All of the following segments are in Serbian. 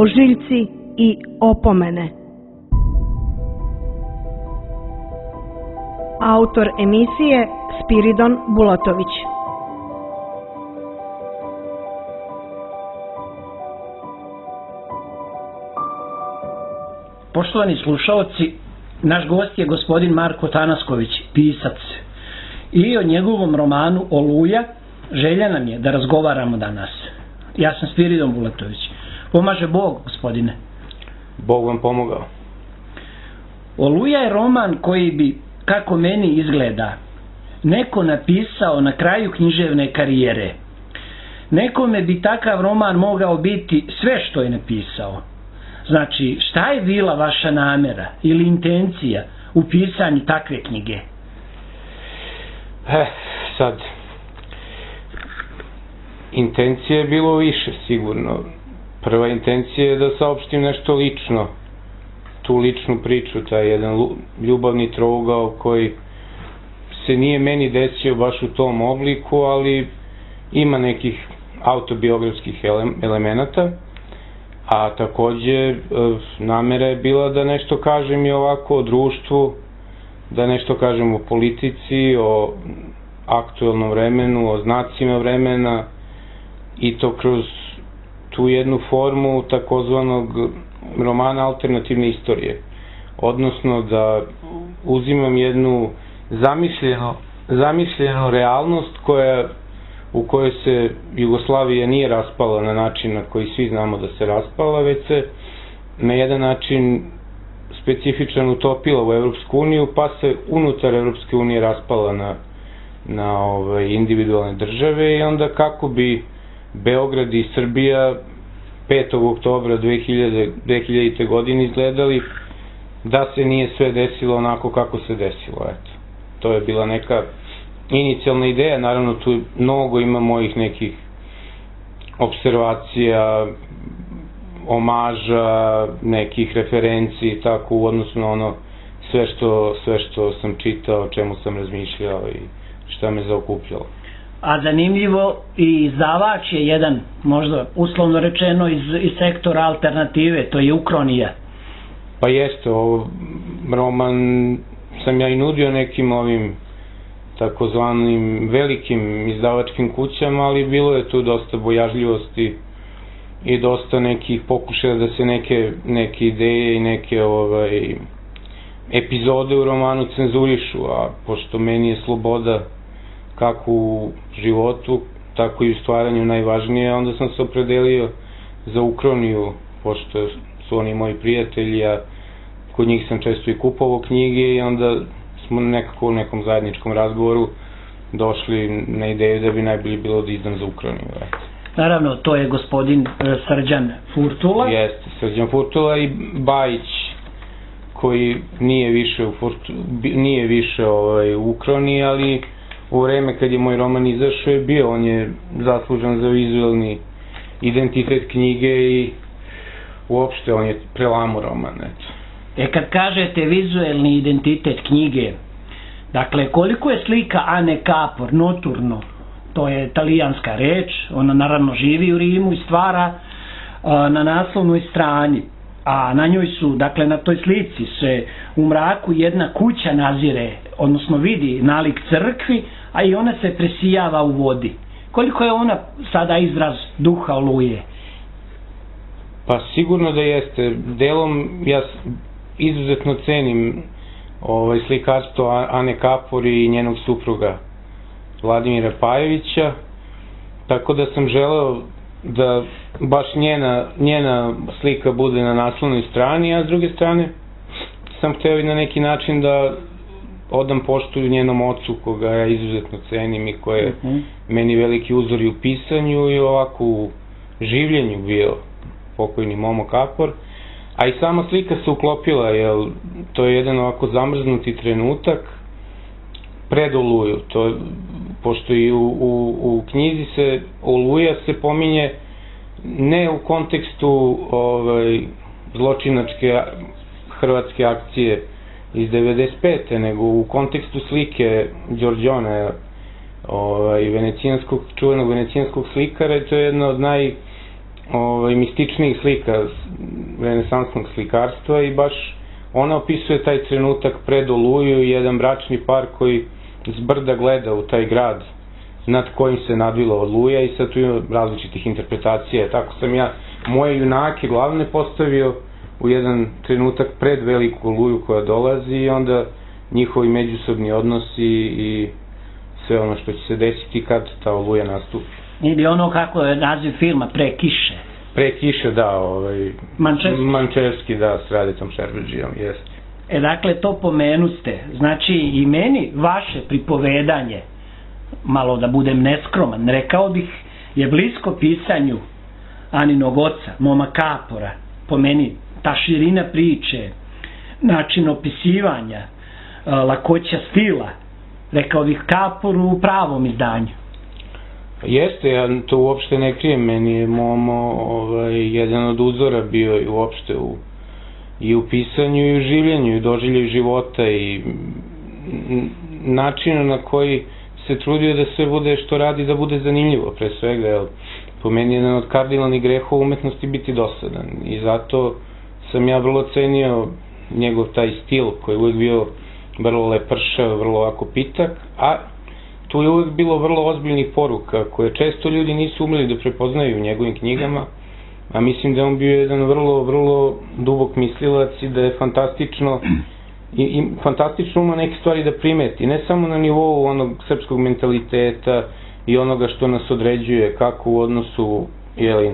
ožiljci i opomene. Autor emisije Spiridon Bulatović. Poštovani slušaoci, naš gost je gospodin Marko Tanasković, pisac. I o njegovom romanu Oluja želja nam je da razgovaramo danas. Ja sam Spiridon Bulatović. Pomaže Bog, gospodine. Bog vam pomogao. Oluja je roman koji bi, kako meni izgleda, neko napisao na kraju književne karijere. Nekome bi takav roman mogao biti sve što je napisao. Znači, šta je bila vaša namera ili intencija u pisanju takve knjige? Sad, intencija je bilo više, sigurno. Prva intencija je da saopštim nešto lično, tu ličnu priču, taj jedan ljubavni trougao koji se nije meni desio baš u tom obliku, ali ima nekih autobiografskih elemenata, a takođe namera je bila da nešto kažem i ovako o društvu, da nešto kažem o politici, o aktuelnom vremenu, o znacima vremena i to kroz tu jednu formu takozvanog romana alternativne istorije. Odnosno da uzimam jednu zamišljenu realnost u kojoj se Jugoslavija nije raspala na način na koji svi znamo da se raspala, već se na jedan način specifičan utopila u Evropsku uniju, pa se unutar Evropske unije raspala na individualne države i onda kako bi Beograd i Srbija 5. oktobra 2000. godine izgledali da se nije sve desilo onako kako se desilo. Eto. To je bila neka inicijalna ideja, naravno tu mnogo ima mojih nekih observacija, omaža, nekih referenci, tako u odnosu na ono sve što sam čitao, o čemu sam razmišljao i šta me zaokupljalo. A zanimljivo, i izdavač je jedan, možda uslovno rečeno, iz sektora alternative, to je Ukronija. Pa jeste, roman sam ja i nudio nekim ovim takozvanim velikim izdavačkim kućama, ali bilo je tu dosta bojažljivosti i dosta nekih pokušaja da se neke ideje i neke epizode u romanu cenzurišu, a pošto meni je sloboda kako u životu, tako i u stvaranju najvažnije, onda sam se opredelio za Ukroniju, pošto su oni moji prijatelji, a kod njih sam često i kupovao knjige i onda smo nekako u nekom zajedničkom razgovoru došli na ideju da bi najbolje bilo da izdam za Ukroniju. Naravno, to je gospodin Srđan Furtula. Jeste, Srđan Furtula i Bajić, koji nije više u Ukroniji, ali u vreme kad je moj roman izašao je bio, on je zaslužan za vizualni identitet knjige i uopšte on je prelamao roman, eto. Kad kažete vizuelni identitet knjige, dakle, koliko je slika Ane Kapor, Noturno, to je italijanska reč, ona naravno živi u Rimu i stvara na naslovnoj strani, a na njoj su, dakle, na toj slici se u mraku jedna kuća nazire, odnosno vidi nalik crkvi, a i ona se presijava u vodi. Koliko je ona sada izraz duha Oluje? Pa sigurno da jeste. Delom ja izuzetno cenim slikarstvo Ane Kapor i njenog supruga Vladimira Pajevića, tako da sam želeo da baš njena slika bude na naslovnoj strani, a s druge strane sam hteo i na neki način da odam poštu njenom ocu, koga ja izuzetno cenim i koji je meni veliki uzor i u pisanju i ovako u življenju bio pokojni Momo Kapor, a i sama slika se uklopila, jer to je jedan ovako zamrznuti trenutak pred Oluju, pošto i u knjizi se Oluja se pominje ne u kontekstu zločinačke hrvatske akcije iz 95. nego u kontekstu slike mističnijih slika renesansnog slikarstva i baš ona opisuje taj trenutak pred Oluju i jedan bračni par koji s brda gleda u taj grad nad kojim se nadvila Oluja i sad tu ima različitih interpretacija. Tako sam ja moje junake glavne postavio u jedan trenutak pred veliku Oluju koja dolazi i onda njihovi međusobni odnosi i sve ono što će se desiti kad ta Oluja nastupi. Ili ono kako je naziv filma, Pre kiše. Pre kiše, da, Mančevski, da, s Radetom Šerbedžijom, jeste. Dakle, to pomenuste. Znači, i meni vaše pripovedanje, malo da budem neskroman, rekao bih, je blisko pisanju Aninog oca, Moma Kapora. Po meni, ta širina priče, način opisivanja, lakoća stila, rekao bih Kapor u pravom izdanju. Jeste, ja to uopšte ne krijem, meni je Momo jedan od uzora bio i uopšte i u pisanju i u življenju i doživljenju života i načina na koji se trudio da sve bude što radi da bude zanimljivo pre svega, jer po meni je jedan od kardinalnih grehova umetnosti biti dosadan i zato sam ja vrlo cenio njegov taj stil koji je uvijek bio vrlo lepršav, vrlo ovako pitak, a tu je uvijek bilo vrlo ozbiljnih poruka koje često ljudi nisu umeli da prepoznaju u njegovim knjigama, a mislim da je on bio jedan vrlo, vrlo dubok mislilac i da je fantastično ima neke stvari da primeti, ne samo na nivou onog srpskog mentaliteta i onoga što nas određuje kako u odnosu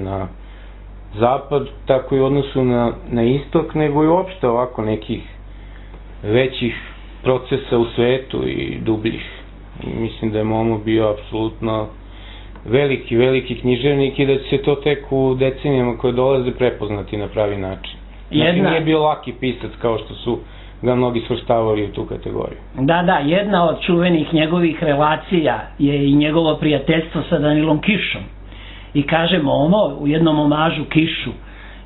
na zapad, tako i u odnosu na istok, nego i uopšte ovako nekih većih procesa u svetu i dubljih. Mislim da je Momo bio apsolutno veliki književnik i da će se to tek u decenijama koje dolaze prepoznati na pravi način. Znači nije bio laki pisac kao što su ga mnogi svrstavali u tu kategoriju. Da, jedna od čuvenih njegovih relacija je i njegovo prijateljstvo sa Danilom Kišom. I kaže Momo u jednom omažu Kišu,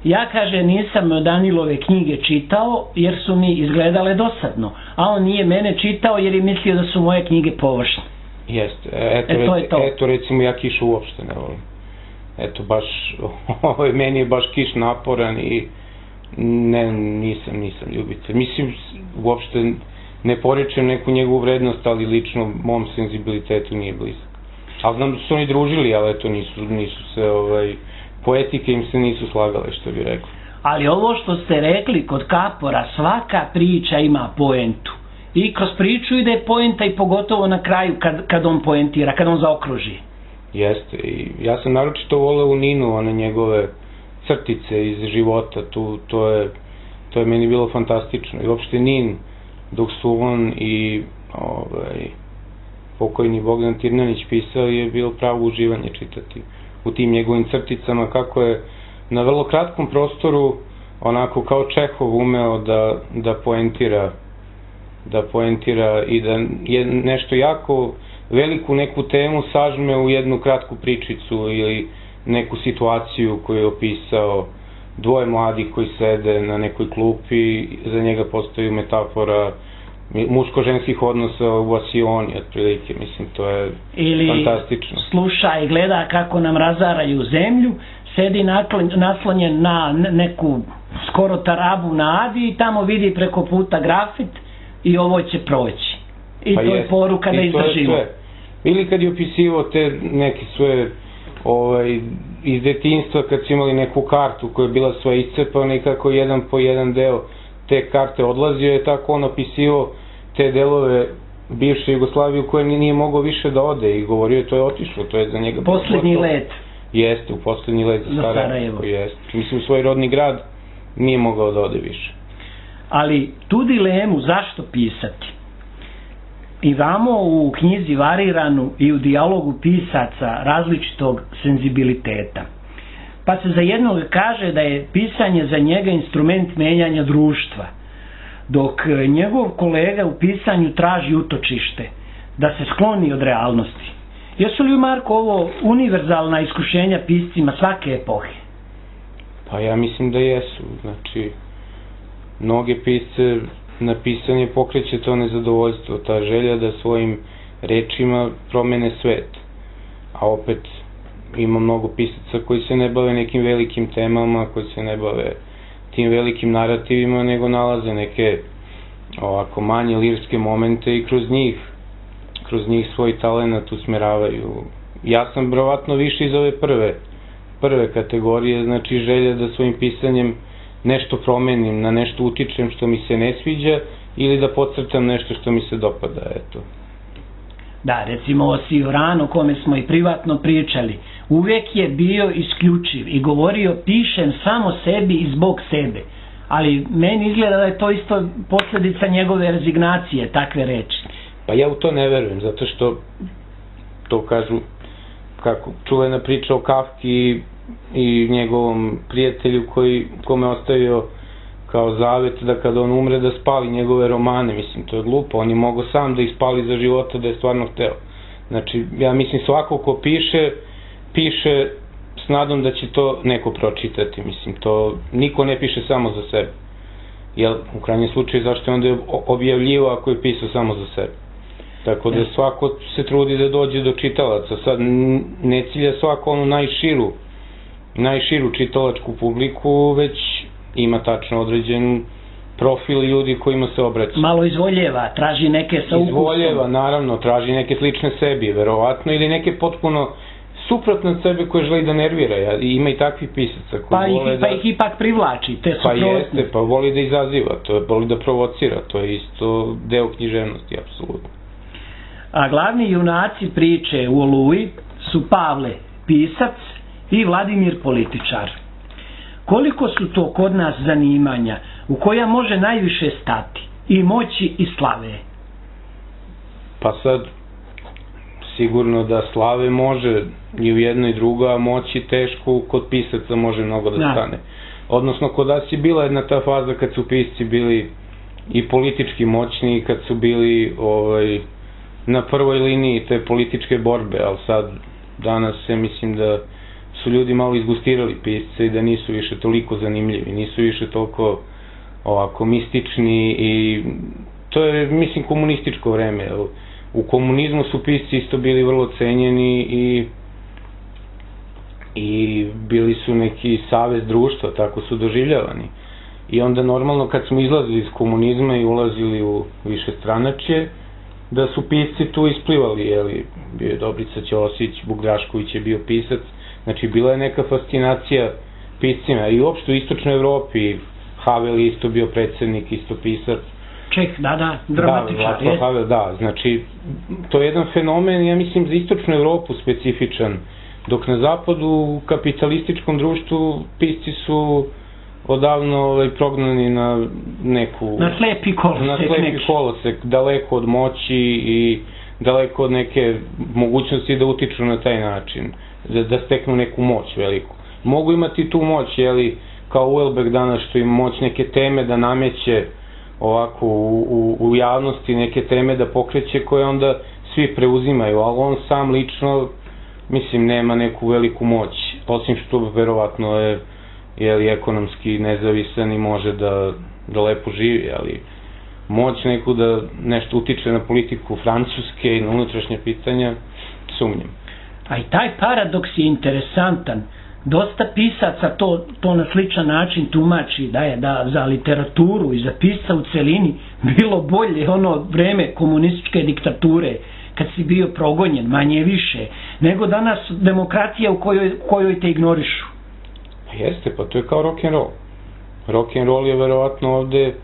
ja, kaže, nisam Danilove knjige čitao jer su mi izgledale dosadno, a on nije mene čitao jer je mislio da su moje knjige površne. Jeste, eto recimo ja Kišu uopšte ne volim. Eto baš, meni je baš Kiš naporan i nisam ljubitelj. Mislim, uopšte ne poričem neku njegovu vrednost, ali lično mom senzibilitetu nije blizak. Ali znam da su oni družili, ali eto nisu se, poetike im se nisu slagale, što bi rekao. Ali ovo što ste rekli kod Kapora, svaka priča ima poentu. I kroz priču ide poenta i pogotovo na kraju kad on poentira, kad on zaokruži. Jeste, i ja sam naročito voleo u Ninu, one njegove crtice iz života, to je meni bilo fantastično. I uopšte Nin, dok su on i pokojni Bogdan Tirnanić pisao, je bilo pravo uživanje čitati u tim njegovim crticama, kako je na vrlo kratkom prostoru onako kao Čehov umeo da poentira i da nešto jako veliku neku temu sažme u jednu kratku pričicu ili neku situaciju koju je opisao. Dvoje mladih koji sede na nekoj klupi, za njega postoji metafora muško-ženskih odnosa u Asioni, otprilike, mislim, to je fantastično. Ili sluša i gleda kako nam razaraju zemlju, sedi naslonjen na neku skoro tarabu na Adi i tamo vidi preko puta grafit i ovo će proći. I to je poruka da izdržimo. Ili kad je opisivao te neke svoje iz detinjstva, kad su imali neku kartu koja je bila sva iscepana i kako jedan po jedan deo te karte odlazio, je tako on opisivao te delove bivše Jugoslavije u koje nije mogao više da ode i govorio to je otišlo, to je za njega poslednji let. Jeste, u poslednji let za Sarajevo. Mislim, svoj rodni grad nije mogao da ode više. Ali tu dilemu zašto pisati imamo u knjizi variranu i u dijalogu pisaca različitog senzibiliteta. Pa se za jednog kaže da je pisanje za njega instrument menjanja društva, dok njegov kolega u pisanju traži utočište, da se skloni od realnosti. Jesu li, Marko, ovo univerzalna iskušenja piscima svake epohe? Pa ja mislim da jesu. Znači, mnoge pisce na pisanje pokreće to nezadovoljstvo, ta želja da svojim rečima promene svet. A opet, ima mnogo pisaca koji se ne bave nekim velikim temama, koji se ne bave tim velikim narativima, nego nalaze neke ovako manje lirske momente i kroz njih svoj talenat usmeravaju. Ja sam verovatno više iz ove prve kategorije, znači želja da svojim pisanjem nešto promenim, na nešto utičem što mi se ne sviđa ili da podcrtam nešto što mi se dopada, eto. Da, recimo o Sioranu, o kome smo i privatno pričali, uvek je bio isključiv i govorio pišem samo sebi i zbog sebe, ali meni izgleda da je to isto posljedica njegove rezignacije, takve reči. Pa ja u to ne verujem, zato što to kažu, kako čuvena priča o Kafki i njegovom prijatelju kome ostavio kao zavet da kada on umre da spali njegove romane. Mislim, to je glupo, on je mogao sam da ih spali za života da je stvarno hteo. Znači, ja mislim svako ko piše s nadom da će to neko pročitati. Mislim, to niko ne piše samo za sebe. Jel, u krajnjem slučaju, zašto je onda objavljivo ako je pisao samo za sebe? Tako da svako se trudi da dođe do čitalaca. Sad ne cilja svako onu najširu čitalačku publiku, već ima tačno određen profil ljudi kojima se obraća. Malo izvoljeva, traži neke sa ukusom. Izvoljeva, naravno, traži neke slične sebi, verovatno, ili neke potpuno suprotne od sebe koje želi da nervira. Ima i takvih pisaca koji vole da... Pa ih ipak privlači, te suprotne. Pa jeste, pa voli da izaziva, voli da provocira, to je isto deo književnosti, apsolutno. A glavni junaci priče u Oluji su Pavle, pisac, i Vladimir, političar. Koliko su to kod nas zanimanja u koja može najviše stati i moći i slave? Pa sad, sigurno da slave može i u jedno i drugo, a moći teško kod pisaca može mnogo da stane. Odnosno, kod nas je bila jedna ta faza kad su pisci bili i politički moćni, kad su bili na prvoj liniji te političke borbe, ali sad, danas se mislim da su ljudi malo izgustirali pisce i da nisu više toliko zanimljivi, nisu više toliko ovako mistični i to je, mislim, komunističko vreme. U komunizmu su pisci isto bili vrlo cenjeni i bili su neki savez društva, tako su doživljavani. I onda normalno kad smo izlazili iz komunizma i ulazili u višestranačje, da su pisci tu isplivali, jeli, bio je Dobrica Ćosić, Vuk Drašković je bio pisac, znači bila je neka fascinacija piscima i uopšte u istočnoj Evropi, Havel je isto bio predsednik, isto pisac. Čeh, dramatičar. Da, Havel, da, znači to je jedan fenomen, ja mislim, za istočnu Evropu specifičan, dok na zapadu u kapitalističkom društvu pisci su odavno prognani na neku... Na slepi kolosek, daleko od moći i daleko od neke mogućnosti da utiču na taj način, da steknu neku moć veliku. Mogu imati tu moć, jeli, kao Uelberg danas što ima moć neke teme da nameće ovako u javnosti, neke teme da pokreće koje onda svi preuzimaju, ali on sam lično, mislim, nema neku veliku moć, osim što verovatno je ekonomski nezavisan i može da lepo živi, ali moć neku da nešto utiče na politiku Francuske i na unutrašnje pitanja, sumnjam. A i taj paradoks je interesantan. Dosta pisaca to na sličan način tumači da je za literaturu i za pisca u celini bilo bolje ono vreme komunističke diktature, kad si bio progonjen, manje više, nego danas demokratija u kojoj te ignorišu. Jeste, pa to je kao rock'n'roll. Rock'n'roll je verovatno ovde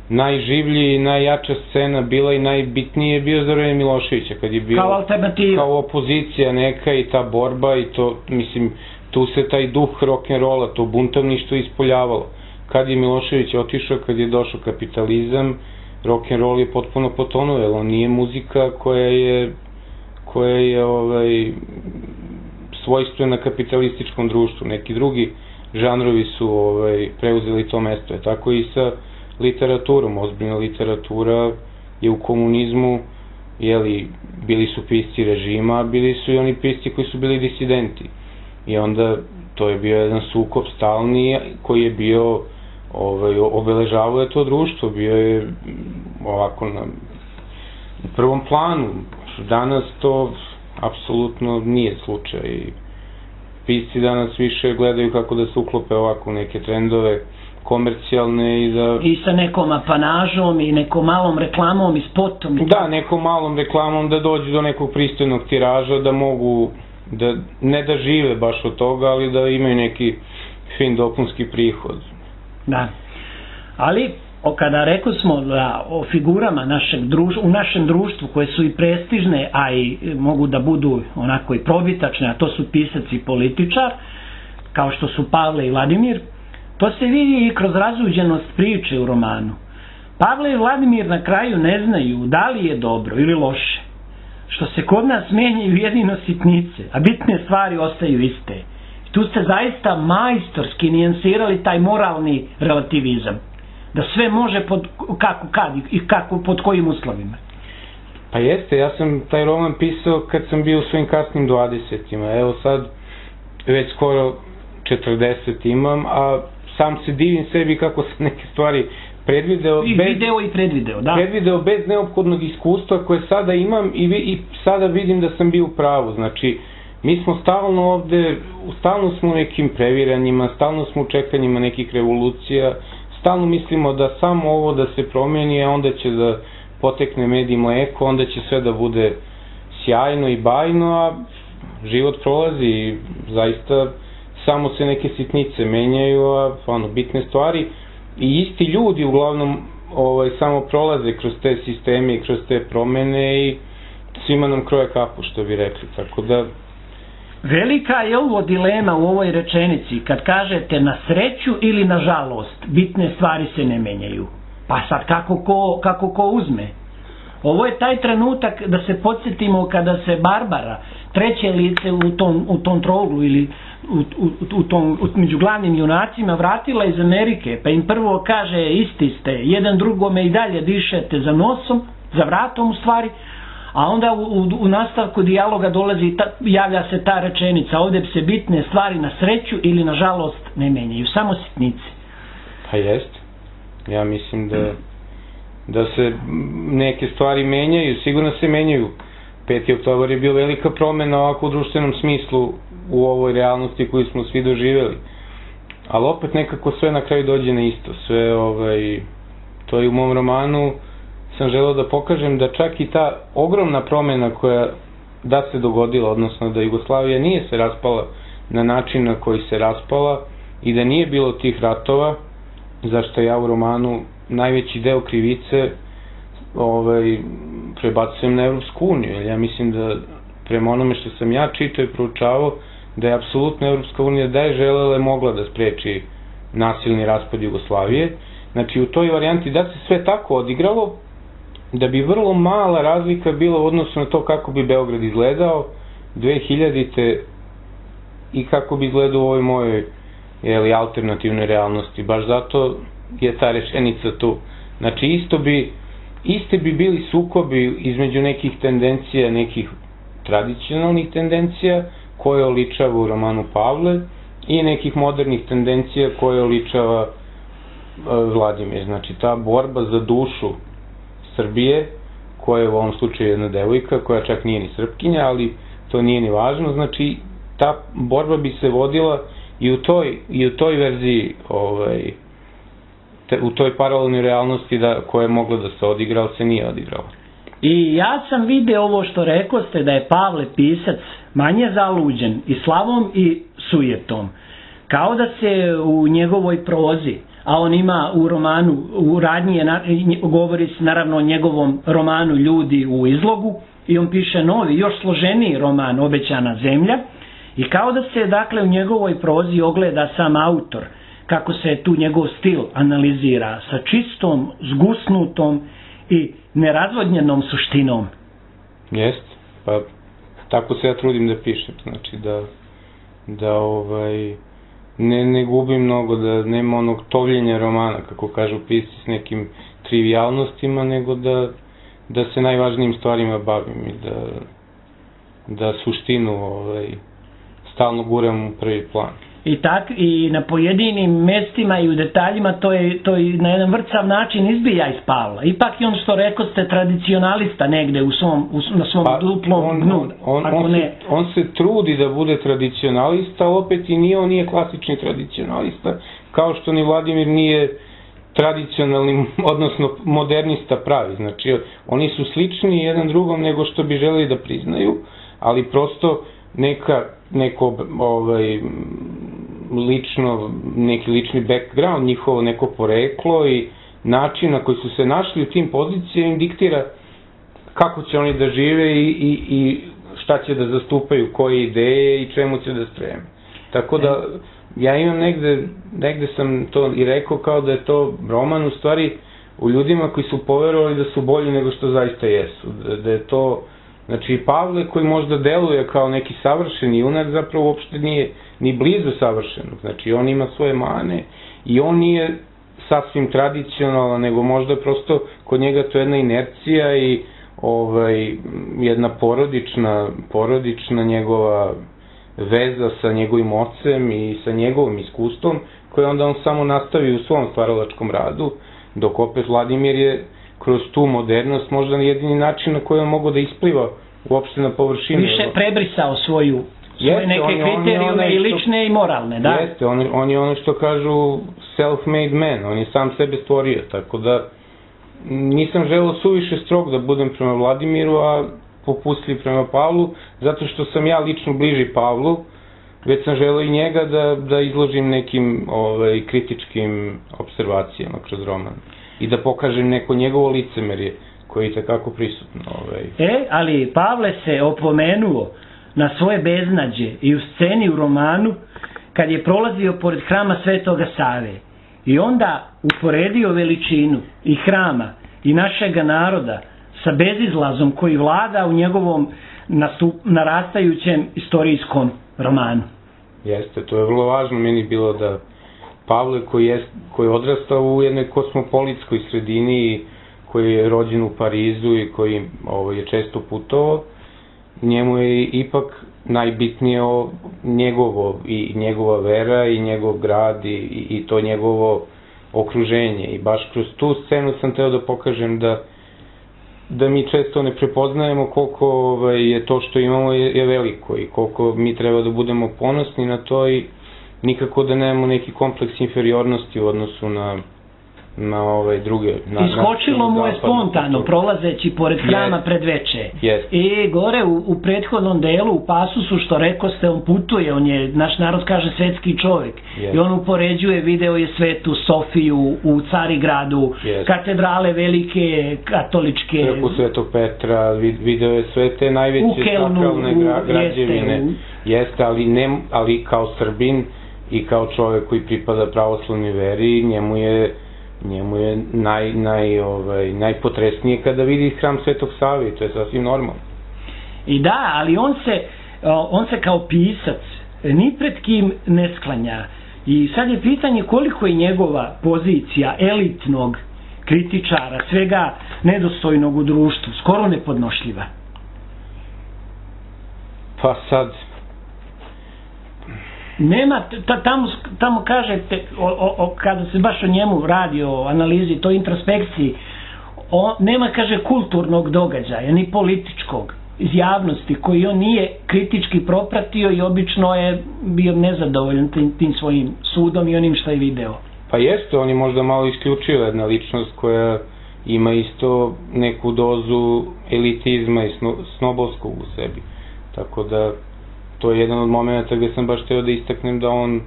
najživlji i najjača scena bila i najbitnije je bio za vreme Miloševića, kad je bio kao alternativa, kao opozicija neka i ta borba i to, mislim, tu se taj duh rock'n'rolla, to buntovništvo ispoljavalo. Kad je Milošević otišao, kad je došao kapitalizam, rock'n'roll je potpuno potonuo, jer on nije muzika koja je svojstvena kapitalističkom društvu. Neki drugi žanrovi su preuzeli to mesto. Tako i sa literaturom. Ozbiljna literatura je u komunizmu, bili su pisci režima, a bili su i oni pisci koji su bili disidenti. I onda to je bio jedan sukob stalni koji je bio, obeležavao je to društvo, bio je ovako na prvom planu. Danas to apsolutno nije slučaj. pisci danas više gledaju kako da se uklope ovako u neke trendove komercijalne i sa nekom apanažom i nekom malom reklamom i spotom. Da, nekom malom reklamom da dođu do nekog pristojnog tiraža, da mogu, ne da žive baš od toga, ali da imaju neki fin dopunski prihod. Da, ali kada rekli smo da o figurama u našem društvu koje su i prestižne, a i mogu da budu onako i probitačne, a to su pisac i političar, kao što su Pavle i Vladimir, to se vidi i kroz razuđenost priče u romanu. Pavle i Vladimir na kraju ne znaju da li je dobro ili loše, što se kod nas menjaju jedino sitnice, a bitne stvari ostaju iste. Tu ste zaista majstorski nijansirali taj moralni relativizam, da sve može pod kojim uslovima. Pa jeste, ja sam taj roman pisao kad sam bio u svojim kasnim 20-ima, evo sad već skoro 40 imam, a sam se divim sebi kako sam neke stvari predvideo bez neophodnog iskustva koje sada imam i sada vidim da sam bio u pravu. Znači, mi smo stalno ovde, stalno smo u nekim previranjima, stalno smo u čekanjima nekih revolucija, stalno mislimo da samo ovo da se promeni, a onda će da potekne med i mleko, onda će sve da bude sjajno i bajno, a život prolazi i zaista samo se neke sitnice menjaju, a bitne stvari i isti ljudi uglavnom samo prolaze kroz te sisteme i kroz te promene i svima nam kroje kapu, što bi rekli, tako da... Velika je ovo dilema u ovoj rečenici, kad kažete na sreću ili na žalost, bitne stvari se ne menjaju. Pa sad kako ko uzme? Ovo je taj trenutak da se podsjetimo kada se Barbara, treće lice u tom troglu ili među glavnim junacima vratila iz Amerike, pa im prvo kaže isti ste, jedan drugome i dalje dišete za nosom, za vratom u stvari, a onda u nastavku dijaloga dolazi, javlja se ta rečenica, ovdje se bitne stvari na sreću ili na žalost ne menjaju, samo sitnice. Pa jest, ja mislim da se neke stvari menjaju, sigurno se menjaju. 5. oktobar je bio velika promena ovako u društvenom smislu u ovoj realnosti koju smo svi doživjeli. Ali opet nekako sve na kraju dođe na isto. Sve, to je u mom romanu, sam želeo da pokažem da čak i ta ogromna promena koja da se dogodila, odnosno da Jugoslavija nije se raspala na način na koji se raspala i da nije bilo tih ratova, zašto ja u romanu najveći deo krivice prebacujem na Evropsku uniju, jer ja mislim da prema onome što sam ja čitao i proučavao, da je apsolutno Evropska unija da je želela mogla da spreči nasilni raspad Jugoslavije. Znači u toj varijanti da se sve tako odigralo, da bi vrlo mala razlika bila u odnosu na to kako bi Beograd izgledao 2000-te i kako bi izgledao u ovoj mojoj alternativnoj realnosti. Baš zato je ta rečenica tu. Znači iste bi bili sukobi između nekih tendencija, nekih tradicionalnih tendencija koje oličava u romanu Pavle i nekih modernih tendencija koje oličava Vladimir. Znači ta borba za dušu Srbije, koja je u ovom slučaju jedna devojka, koja čak nije ni Srpkinja, ali to nije ni važno, znači ta borba bi se vodila i u toj verziji, u toj paralelnoj realnosti koja je mogla da se odigra, ali se nije odigrala. I ja sam video ovo što rekoste da je Pavle pisac manje zaluđen i slavom i sujetom. Kao da se u njegovoj prozi, a on ima u romanu, u radnji govori se naravno o njegovom romanu Ljudi u izlogu i on piše novi, još složeniji roman Obećana zemlja i kao da se dakle u njegovoj prozi ogleda sam autor, kako se tu njegov stil analizira sa čistom, zgusnutom i nerazvodnjenom suštinom. Jest, pa tako se ja trudim da pišem, znači da ne gubim mnogo, da nema onog tovljenja romana, kako kažu pisci, s nekim trivialnostima, nego da se najvažnijim stvarima bavim i da suštinu stalno guram u prvi plan. i na pojedinim mestima i u detaljima to je na jedan vrcav način izbija iz Pavla. Ipak je on, što rekao ste, tradicionalista negde na svom duplom dnu. On se trudi da bude tradicionalista, opet i on nije klasični tradicionalista, kao što ni Vladimir nije tradicionalni, odnosno modernista pravi. Znači, oni su slični jedan drugom nego što bi želeli da priznaju, ali prosto neki lični background, njihovo neko poreklo i način na koji su se našli u tim pozicijama im diktira kako će oni da žive i šta će da zastupaju, koje ideje i čemu će da streme. Tako da, ja imam negde sam to i rekao kao da je to roman u stvari u ljudima koji su poverovali da su bolji nego što zaista jesu. Da je to, znači Pavle koji možda deluje kao neki savršeni junak zapravo uopšte nije ni blizu savršenog. Znači on ima svoje mane i on nije sasvim tradicionalan, nego možda prosto kod njega to je jedna inercija i jedna porodična njegova veza sa njegovim ocem i sa njegovim iskustvom, koje onda on samo nastavi u svom stvaralačkom radu, dok opet Vladimir je kroz tu modernost možda jedini način na koji on mogu da ispliva uopšte na površinu. Više prebrisao svoje neke kriterijume i lične i moralne, da? Jeste, on je ono što kažu self-made man, on je sam sebe stvorio, tako da nisam želeo suviše strog da budem prema Vladimiru, a popustljiv prema Pavlu, zato što sam ja lično bliži Pavlu, već sam želeo i njega da izložim nekim kritičkim observacijama kroz roman i da pokažem neko njegovo licemerje koje je takako prisutno. Ali Pavle se opomenuo na svoje beznađe i u sceni u romanu kad je prolazio pored hrama Svetoga Save i onda uporedio veličinu i hrama i našega naroda sa bezizlazom koji vlada u njegovom narastajućem istorijskom romanu. Jeste, to je vrlo važno meni bilo da Pavle koji je odrastao u jednoj kosmopolitskoj sredini, koji je rođen u Parizu i koji je često putovao, njemu je ipak najbitnije njegova vera i njegov grad i to njegovo okruženje. I baš kroz tu scenu sam teo da pokažem da mi često ne prepoznajemo koliko je to što imamo je veliko i koliko mi treba da budemo ponosni na to i nikako da nemamo neki kompleks inferiornosti u odnosu na druge. Iskočilo mu je spontano, prolazeći pored hrama pred veče. I gore u prethodnom delu, u pasusu, što rekao ste, on putuje, on je, naš narod kaže, svetski čovjek. I on upoređuje, video je Svetu Sofiju u Carigradu, katedrale velike, katoličke. Crkvu Svetog Petra, video je sve te najveće sakralne građevine. Jeste, ali kao Srbin i kao čovjek koji pripada pravoslavnoj veri, njemu je najpotresnije kada vidi hram Svetog Save, to je sasvim normalno. I da, ali on se kao pisac ni pred kim ne sklanja. I sad je pitanje koliko je njegova pozicija elitnog kritičara, svega nedostojnog u društvu, skoro nepodnošljiva. Pa sad... Nema, tamo kažete, kada se baš o njemu radi, o analizi, toj introspekciji, nema, kaže, kulturnog događaja, ni političkog, iz javnosti, koji on nije kritički propratio i obično je bio nezadovoljan tim svojim sudom i onim što je video. Pa jeste, on je možda malo isključio jedna ličnost koja ima isto neku dozu elitizma i snobovskog u sebi, tako da to je jedan od momenta gde sam baš hteo da istaknem da on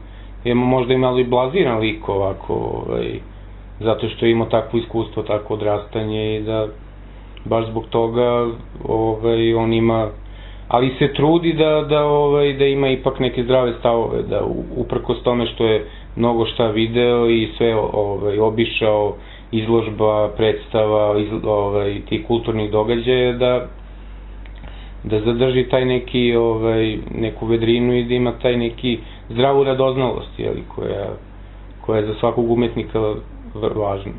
je možda i malo i blaziran lik ovako, zato što je imao takvo iskustvo, takvo odrastanje i da baš zbog toga on ima, ali se trudi da ima ipak neke zdrave stavove, da uprkos tome što je mnogo šta video i sve obišao, izložba, predstava, tih kulturnih događaja, da zadrži taj neku vedrinu i da ima taj neki zdravu radoznalost, koja je za svakog umetnika važna.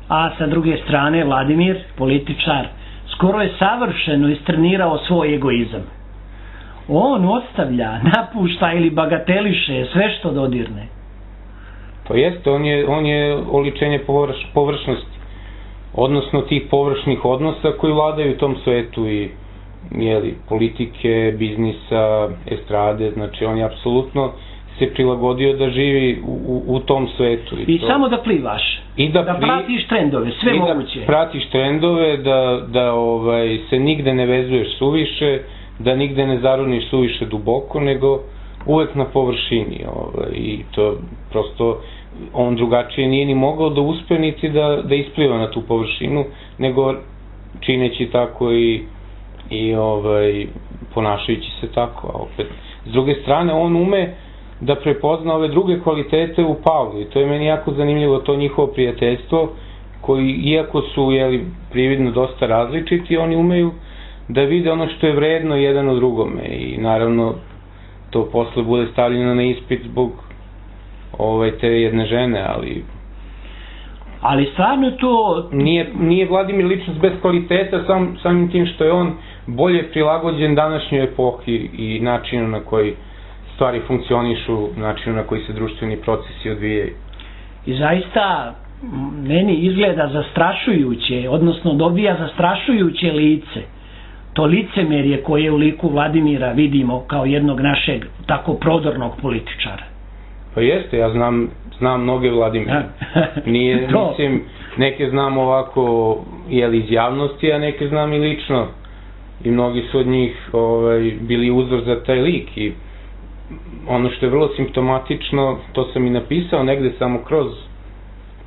A sa druge strane, Vladimir, političar, skoro je savršeno istrenirao svoj egoizam. on ostavlja, napušta ili bagateliše sve što dodirne. To jeste, on je oličenje površnosti, odnosno tih površnih odnosa koji vladaju u tom svetu i politike, biznisa, estrade, znači on je apsolutno se prilagodio da živi u tom svetu. I samo da plivaš, da pratiš trendove, sve moguće. Da pratiš trendove, da se nigde ne vezuješ suviše, da nigde ne zaroniš suviše duboko, nego uvek na površini. I to prosto, on drugačije nije ni mogao da uspe niti da ispliva na tu površinu, nego čineći tako i ponašajući se tako. A opet, s druge strane, on ume da prepozna ove druge kvalitete u Pavlu i to je meni jako zanimljivo, to njihovo prijateljstvo, koji, iako su prividno dosta različiti, oni umeju da vide ono što je vredno jedan od drugome i naravno to posle bude stavljeno na ispit zbog te jedne žene, ali stvarno to... Nije Vladimir ličnost bez kvaliteta, samim tim što je on bolje prilagođen današnjoj epohi i načinu na koji stvari funkcionišu, načinu na koji se društveni procesi odvijaju. I zaista meni izgleda zastrašujuće, odnosno dobija zastrašujuće lice. To licemerje koje u liku Vladimira vidimo kao jednog našeg tako prodornog političara. Pa jeste, ja znam mnoge Vladimira. Mislim, neke znam ovako iz javnosti, a neke znam i lično. I mnogi su od njih bili uzor za taj lik i ono što je vrlo simptomatično, to sam i napisao negde samo kroz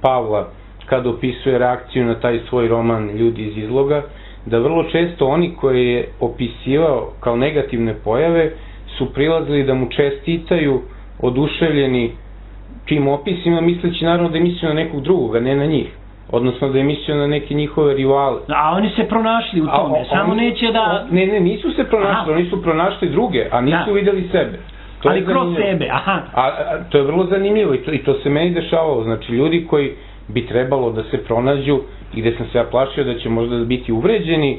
Pavla, kada opisuje reakciju na taj svoj roman Ljudi iz izloga, da vrlo često oni koje je opisivao kao negativne pojave su prilazili da mu čestitaju, oduševljeni tim opisima, misleći naravno da je mislio na nekog drugog, a ne na njih. Odnosno da je mislio na neke njihove rivale. A oni se pronašli u tome, samo neće da... Ne, nisu se pronašli, oni su pronašli druge, a nisu videli sebe. Ali kroz sebe, aha. To je vrlo zanimljivo i to se meni dešavalo. Znači, ljudi koji bi trebalo da se pronađu i gde sam se ja plašio da će možda biti uvređeni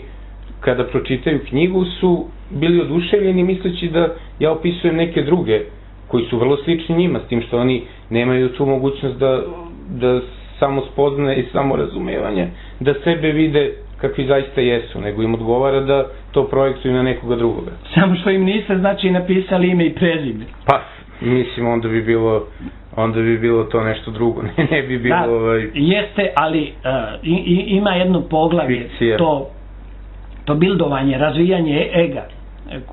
kada pročitaju knjigu, su bili oduševljeni misleći da ja opisujem neke druge koji su vrlo slični njima, s tim što oni nemaju tu mogućnost da samo spoznaje i samo razumevanje, da sebe vide kakvi zaista jesu, nego im odgovara da to projektuju na nekoga drugoga. Samo što im niste znači napisali ime i prezime. Pa, mislim, onda bi bilo to nešto drugo, ne bi bilo... Jeste, ali ima jedno poglavlje, to bildovanje, razvijanje ega,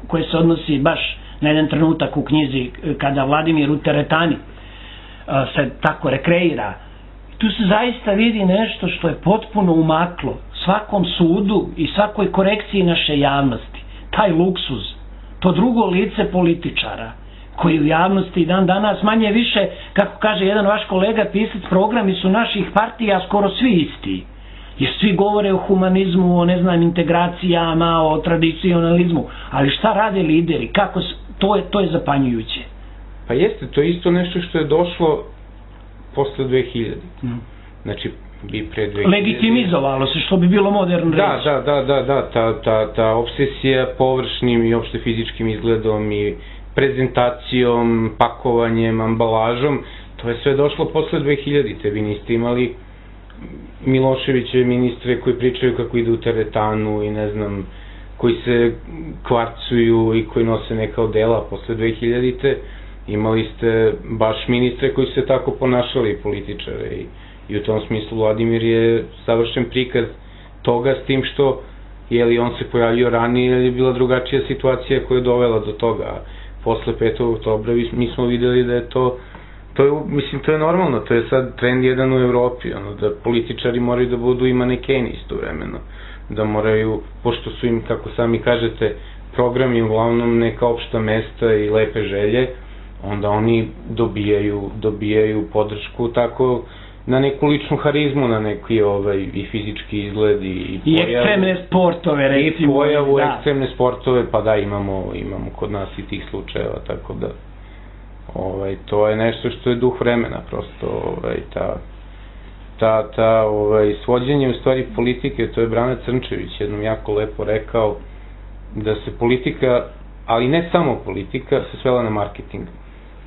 koje se odnosi baš na jedan trenutak u knjizi kada Vladimir u teretani se tako rekreira. Tu se zaista vidi nešto što je potpuno umaklo svakom sudu i svakoj korekciji naše javnosti. Taj luksuz, to drugo lice političara, koji u javnosti dan danas manje više, kako kaže jedan vaš kolega pisac, programi su naših partija skoro svi isti. Jer svi govore o humanizmu, o integracijama, o tradicionalizmu. Ali šta rade lideri? Kako, to je zapanjujuće. Pa jeste, to je isto nešto što je došlo posle 2000. Znači, bi pre 2000. Legitimizovalo se, što bi bilo moderno reći. Da, ta obsesija površnim i opšte fizičkim izgledom i prezentacijom, pakovanjem, ambalažom, to je sve došlo posle 2000. Vi niste imali Miloševićeve ministre koji pričaju kako ide u teretanu i ne znam, koji se kvarcuju i koji nose neka odela posle 2000. Imali ste baš ministre koji su se tako ponašali, političare, i u tom smislu Vladimir je savršen prikaz toga, s tim što on se pojavio ranije jer je bila drugačija situacija koja je dovela do toga. Posle 5. oktobra mi smo videli da je to je normalno, to je sad trend jedan u Evropi, da političari moraju da budu i manekeni istovremeno, da moraju, pošto su im, kako sami kažete, programi uglavnom neka opšta mesta i lepe želje, onda oni dobijaju podršku tako na neku ličnu harizmu, na neki i fizički izgled i ekstremne sportove, recimo. I pojavu ekstremne sportove, pa da, imamo kod nas i tih slučajeva, tako da to je nešto što je duh vremena, prosto ta svođenje u stvari politike, to je Brana Crnčević jednom jako lepo rekao, da se politika ali ne samo politika, se svela na marketing.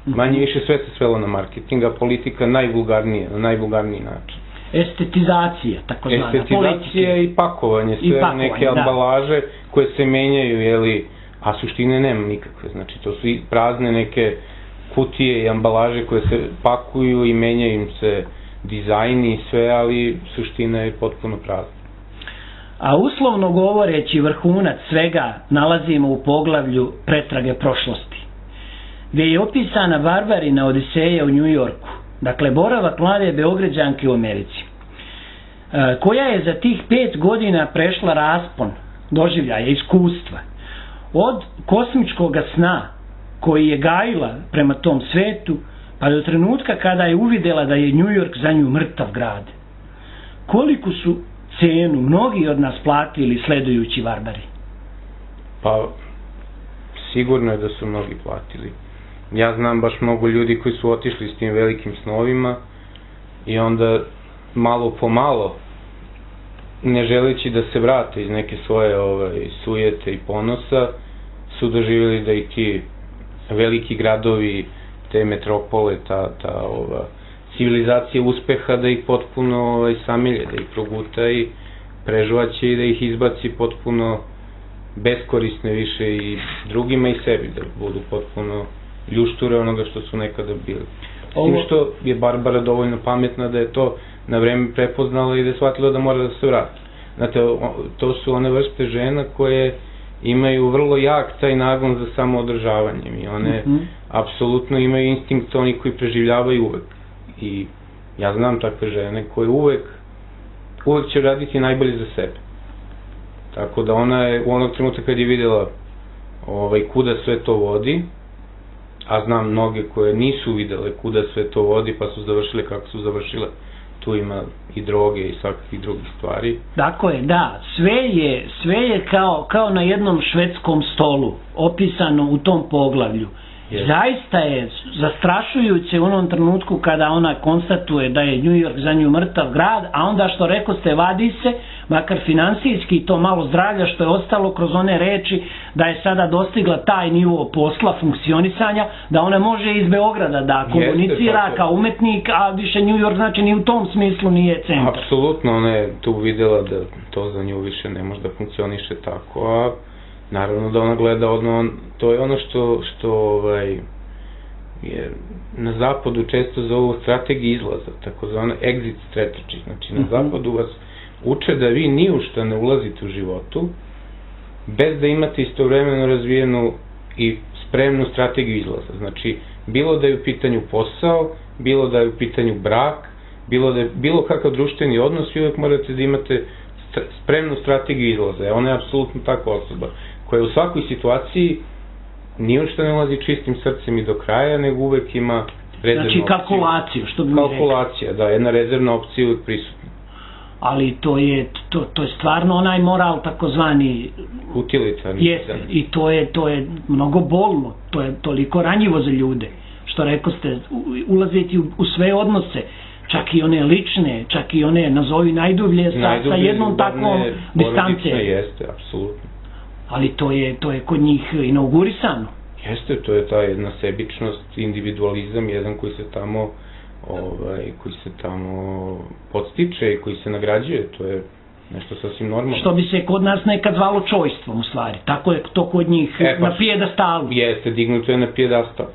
Manje više sve se svelo na marketing, a politika najvulgarnije, na najvulgarniji način. Estetizacija, takozvana, estetizacija i pakovanje, sve neke ambalaže koje se menjaju, jeli, a suštine nema nikakve, znači to su i prazne neke kutije i ambalaže koje se pakuju i menjaju im se dizajni i sve, ali suština je potpuno prazna. A uslovno govoreći, vrhunac svega nalazimo u poglavlju Pretrage prošlosti, gdje je opisana barbarina Odiseja u New Yorku, dakle boravak mlade Beograđanke u Americi, koja je za tih 5 godina prešla raspon doživljaja, iskustva, od kosmičkog sna koji je gajila prema tom svetu, pa do trenutka kada je uvidjela da je New York za nju mrtav grad. Koliko su cenu mnogi od nas platili sledujući Barbari? Pa, sigurno je da su mnogi platili. Ja znam baš mnogo ljudi koji su otišli s tim velikim snovima i onda malo po malo, ne želeći da se vrate iz neke svoje sujete i ponosa, su doživjeli da i ti veliki gradovi, te metropole, ta civilizacija uspeha, da ih potpuno samilje, da ih proguta i prežvaće i da ih izbaci potpuno beskorisne više i drugima i sebi, da budu potpuno ljušture onoga što su nekada bili. S tim što je Barbara dovoljno pametna da je to na vreme prepoznala i da je shvatila da mora da se vrati. Znate, to su one vrste žena koje imaju vrlo jak taj nagon za samoodržavanjem i one apsolutno imaju instinkt, oni koji preživljavaju uvek. I ja znam takve žene koje uvek će raditi najbolje za sebe. Tako da ona je u onog trenutka kad je vidjela kuda sve to vodi, a znam mnoge koje nisu vidjele kuda sve to vodi pa su završile kako su završile, tu ima i droge i svakakvih drugih stvari. Tako je, da, sve je kao na jednom švedskom stolu opisano u tom poglavlju. Zaista je zastrašujuće u onom trenutku kada ona konstatuje da je New York za nju mrtav grad, a onda što rekoste vadi se, makar finansijski to malo zdravlja što je ostalo kroz one reči da je sada dostigla taj nivo posla, funkcionisanja, da ona može iz Beograda da komunicira kao umetnik, a više New York znači ni u tom smislu nije centar. Apsolutno, ona je tu videla da to za nju više ne može da funkcioniše tako, a naravno da ona gleda, to je ono što je na zapadu često zovu strategija izlaza, takozvano exit strategy, znači na zapadu vas uče da vi ni u šta ne ulazite u životu, bez da imate istovremeno razvijenu i spremnu strategiju izlaza, znači bilo da je u pitanju posao, bilo da je u pitanju brak, bilo kakav društveni odnos, vi uvek morate da imate spremnu strategiju izlaza, ona je apsolutno takva osoba koja u svakoj situaciji ni u što ne ulazi čistim srcem i do kraja, nego uvek ima rezervnu opciju. Znači kalkulaciju, što bi mi rekao. Kalkulacija, da, jedna rezervna opcija uvek prisutna. Ali to je stvarno onaj moral takozvani utilitarni. Jeste, i to je mnogo bolno, to je toliko ranjivo za ljude, što rekoste, ulaziti u sve odnose, čak i one lične, čak i one nazovi najdublje sa jednom takvom distance. Jeste, apsolutno. Ali to je kod njih inaugurisano. Jeste, to je ta jedna sebičnost, individualizam, jedan koji se tamo podstiče i koji se nagrađuje, to je nešto sasvim normalno. Što bi se kod nas nekad zvalo čojstvom u stvari, tako je to kod njih na pijedastalu. Jeste, dignuto je na pijedastal.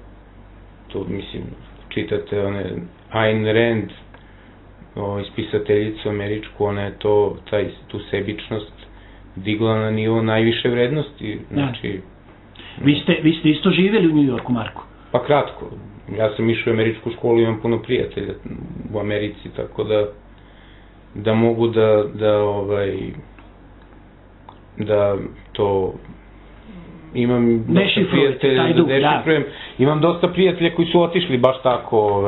To, mislim, čitate one Ayn Rand, ispisateljicu američku, ona je tu sebičnost digla na nivo najviše vrednosti, znači... Vi ste isto živjeli u New Yorku, Marko? Pa kratko. Ja sam išao u američku školu, imam puno prijatelja u Americi, tako da mogu da to imam dosta prijatelja da dešifrujem. Imam dosta prijatelja koji su otišli baš tako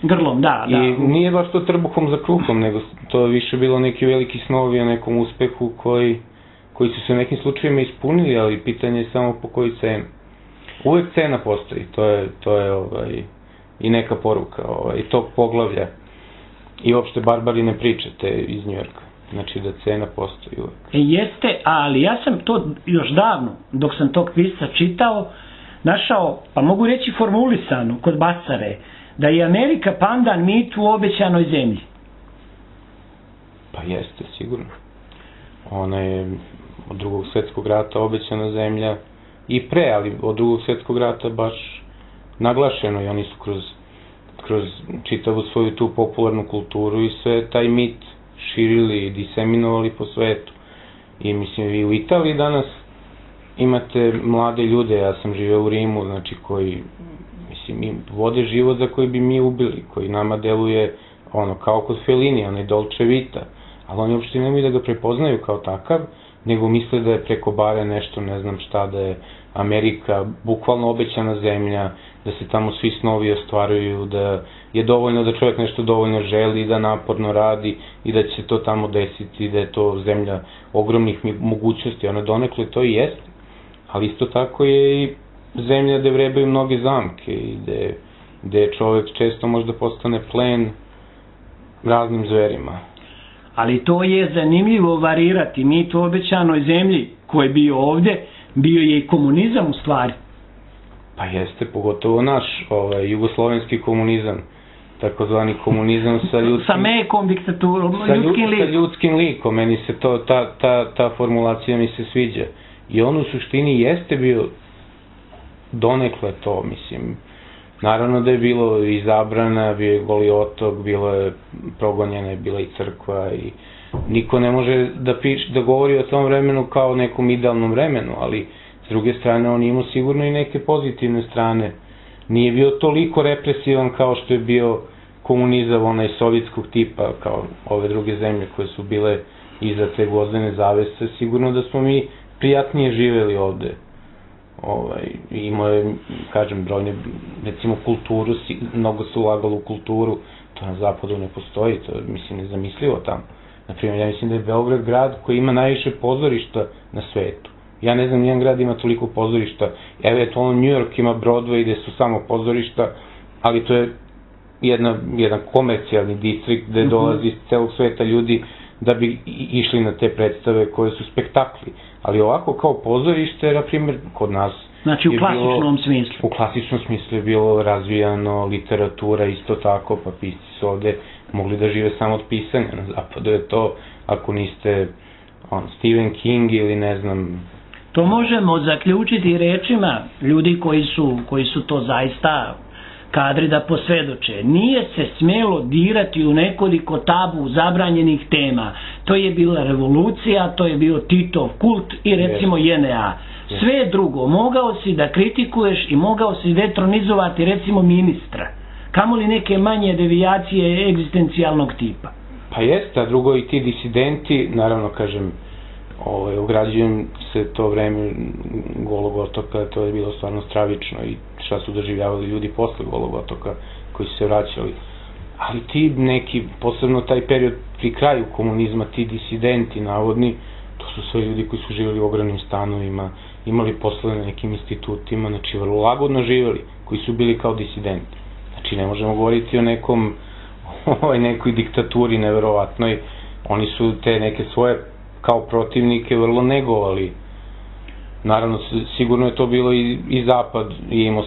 grlom, da. I nije baš to trbuhom za kruhom, nego to je više bilo neki veliki snovi o nekom uspehu koji su se u nekim slučajima ispunili, ali pitanje je samo po koju cenu. Uvek cena postoji, to je i neka poruka i tog poglavlja i uopšte barbarine priče te iz Njujorka. znači da cena postoji uvek. Jeste, ali ja sam to još davno, dok sam tog pisca čitao, našao, pa mogu reći formulisano kod Bacare, da je Amerika pandan mitu u obećanoj zemlji. Pa jeste, sigurno. Ona je od drugog svjetskog rata obećana zemlja i pre, ali od drugog svjetskog rata baš naglašeno i oni su kroz čitavu svoju tu popularnu kulturu i sve taj mit širili i diseminovali po svetu. I mislim, vi u Italiji danas imate mlade ljude, ja sam živeo u Rimu, znači koji, mislim, vode život za koji bi mi ubili, koji nama deluje ono, kao kod Fellini, onaj Dolce Vita, ali oni uopšte nemaju da ga prepoznaju kao takav, nego misle da je preko bare nešto, ne znam šta, da je Amerika bukvalno obećana zemlja, da se tamo svi snovi ostvaruju, da je dovoljno da čovjek nešto dovoljno želi, da naporno radi i da će se to tamo desiti, da je to zemlja ogromnih mogućnosti, ona donekle to i jeste, ali isto tako je i zemlja gde vrebaju mnoge zamke i gde čovjek često možda postane plen raznim zverima. Ali to je zanimljivo varirati. Mi to obećanoj zemlji koji je bio ovde, bio je i komunizam u stvari. Pa jeste, pogotovo naš jugoslovenski komunizam, takozvani komunizam sa mekom diktaturom, ljudskim likom. Sa ljudskim likom, meni se to, ta formulacija mi se sviđa. I on u suštini jeste bio donekle to, mislim. Naravno da je bilo i zabrana, bio je Goli otok, bilo je progonjena, je bila i crkva i niko ne može da govori o tom vremenu kao nekom idealnom vremenu, ali s druge strane on imao sigurno i neke pozitivne strane. Nije bio toliko represivan kao što je bio komunizam onaj sovjetskog tipa, kao ove druge zemlje koje su bile iza te gvozdene zavese. Sigurno da smo mi prijatnije živeli ovde. Imao je, kažem, brojne, recimo kulturu, mnogo se ulagalo u kulturu, to na zapadu ne postoji, to je, mislim, nezamislivo tamo. Naprimjer, ja mislim da je Beograd grad koji ima najviše pozorišta na svetu. Ja ne znam, nijedan grad ima toliko pozorišta. Eventualno New York ima Broadway gde su samo pozorišta, ali to je jedan komercijalni distrikt gde dolazi iz celog sveta ljudi da bi išli na te predstave koje su spektakli. Ali ovako kao pozorište, na primjer, kod nas... Znači u klasičnom smislu. U klasičnom smislu je bilo razvijano, literatura isto tako, pa pisci su ovde mogli da žive samo od pisanja. Na zapadu je to, ako niste Stephen King ili ne znam... To možemo zaključiti rečima ljudi koji su to zaista kadri da posvedoče. Nije se smelo dirati u nekoliko tabu zabranjenih tema. To je bila revolucija, to je bio Titov kult i recimo JNA. Sve drugo, mogao si da kritikuješ i mogao si detronizovati recimo ministra. Kamoli neke manje devijacije egzistencijalnog tipa. Pa jeste, a drugo i ti disidenti, naravno kažem, ugrađujem se to vreme Golog otoka, to je bilo stvarno stravično i šta su doživljavali ljudi posle Golog otoka koji su se vraćali. Ali ti neki, posebno taj period pri kraju komunizma, ti disidenti navodni, to su sve ljudi koji su živjeli u ogromnim stanovima, imali posle na nekim institutima, znači vrlo lagodno živjeli, koji su bili kao disidenti. Znači ne možemo govoriti o nekoj diktaturi neverovatnoj, oni su te neke svoje kao protivnike vrlo negovali. Naravno, sigurno je to bilo i Zapad i imao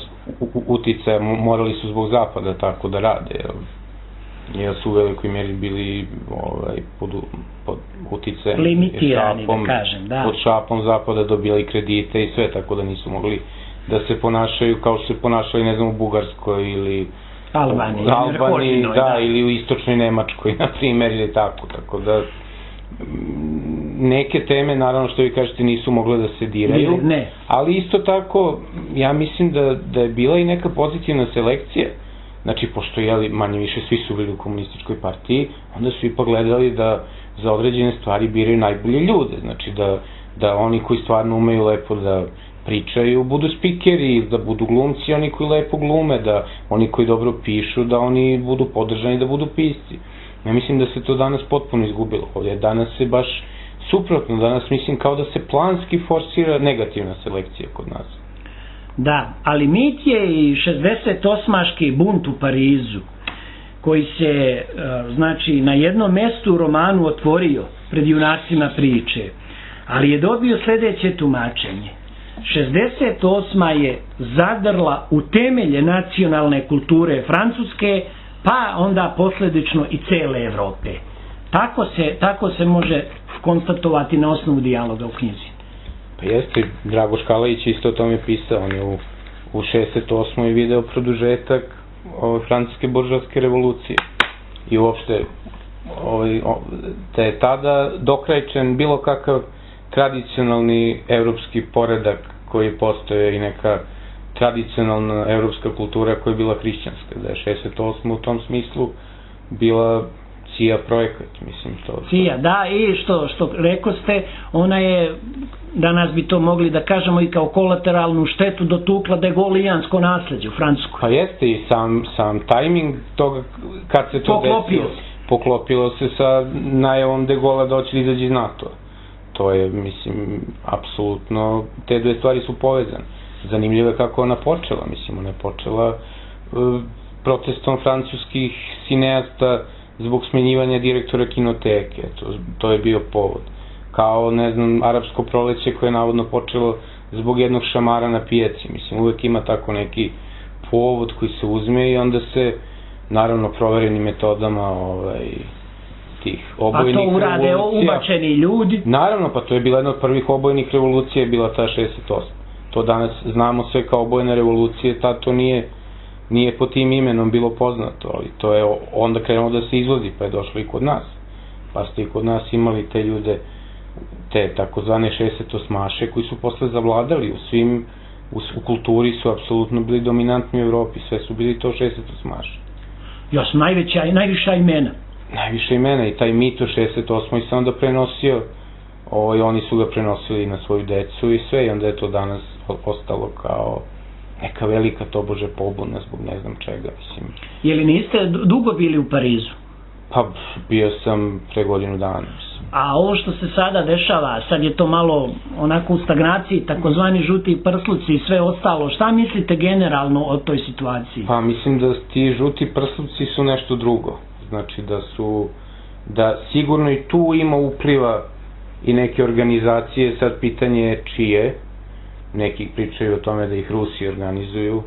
uticaja, morali su zbog Zapada tako da rade, jer su u velikoj meri bili pod uticajem, limitirani, da kažem, da. Pod šapom Zapada dobijali kredite i sve, tako da nisu mogli da se ponašaju kao što se ponašali, ne znam, u Bugarskoj ili Albaniji, da, ili u istočnoj Nemačkoj, na primjer, ili tako da neke teme, naravno što vi kažete, nisu mogle da se diraju, ali isto tako ja mislim da je bila i neka pozitivna selekcija, znači pošto manje više svi su bili u komunističkoj partiji, onda su ipak gledali da za određene stvari biraju najbolje ljude, znači da oni koji stvarno umeju lepo da pričaju budu spikeri, da budu glumci, oni koji lepo glume, da oni koji dobro pišu, da oni budu podržani, da budu pisci. Ja mislim da se to danas potpuno izgubilo. Ovdje danas se baš suprotno, danas mislim kao da se planski forsira negativna selekcija kod nas. Da, ali mit je i 68-aški bunt u Parizu, koji se, znači, na jednom mestu u romanu otvorio pred junacima priče, ali je dobio sljedeće tumačenje. 68. je zadrla u temelje nacionalne kulture Francuske, pa onda posljedično i cele Evrope. Tako se može konstatovati na osnovu dijaloga u knjizi. Pa jeste, Dragoš Kalajić isto o tome pisao, on je u 68. video produžetak francuske buržovske revolucije. I uopšte te je tada dokrajčen bilo kakav tradicionalni evropski poredak koji postoje i neka tradicionalna evropska kultura koja je bila hrišćanska, da je 68. u tom smislu bila CIA projekat, mislim to. CIA, da, i što rekao ste, ona je, danas bi to mogli da kažemo i kao kolateralnu štetu dotukla degolijansko nasljeđe u Francusku. Pa jeste i sam tajming toga kad se to desilo, poklopilo se sa najavom de Gaulle da hoće izaći iz NATO. To je, mislim, apsolutno, te dve stvari su povezane. Zanimljivo je kako ona počela, mislim, ona je počela protestom francuskih cineasta zbog smenjivanja direktora kinoteke, to je bio povod. Kao, ne znam, arapsko proleće koje je navodno počelo zbog jednog šamara na pijaci, mislim, uvek ima tako neki povod koji se uzme i onda se, naravno, proverenim metodama tih obojenih revolucija. A to urade ubačeni ljudi? Naravno, pa to je bila jedna od prvih obojenih revolucija, je bila ta 68. To danas znamo sve kao obojene revolucije, tad to nije po tim imenom bilo poznato, ali to je onda krenulo da se izvozi, pa je došlo i kod nas. Pa ste i kod nas imali te ljude, te takozvane 68-aše koji su posle zavladali u kulturi su apsolutno bili dominantni u Evropi, sve su bili to 68-aše. Još najviša imena. Najviša imena i taj mit o 68. se onda prenosio, oni su ga prenosili na svoju decu i sve, i onda je to danas ostalo kao neka velika tobože pobuna zbog ne znam čega, mislim. Jeli niste dugo bili u Parizu? Pa bio sam pre godinu dana, mislim. A ovo što se sada dešava, sad je to malo onako u stagnaciji, takozvani žuti prsluci i sve ostalo, šta mislite generalno o toj situaciji? Pa mislim da ti žuti prsluci su nešto drugo, znači da sigurno i tu ima upliva i neke organizacije, sad pitanje je čije. Neki pričaju o tome da ih Rusi organizuju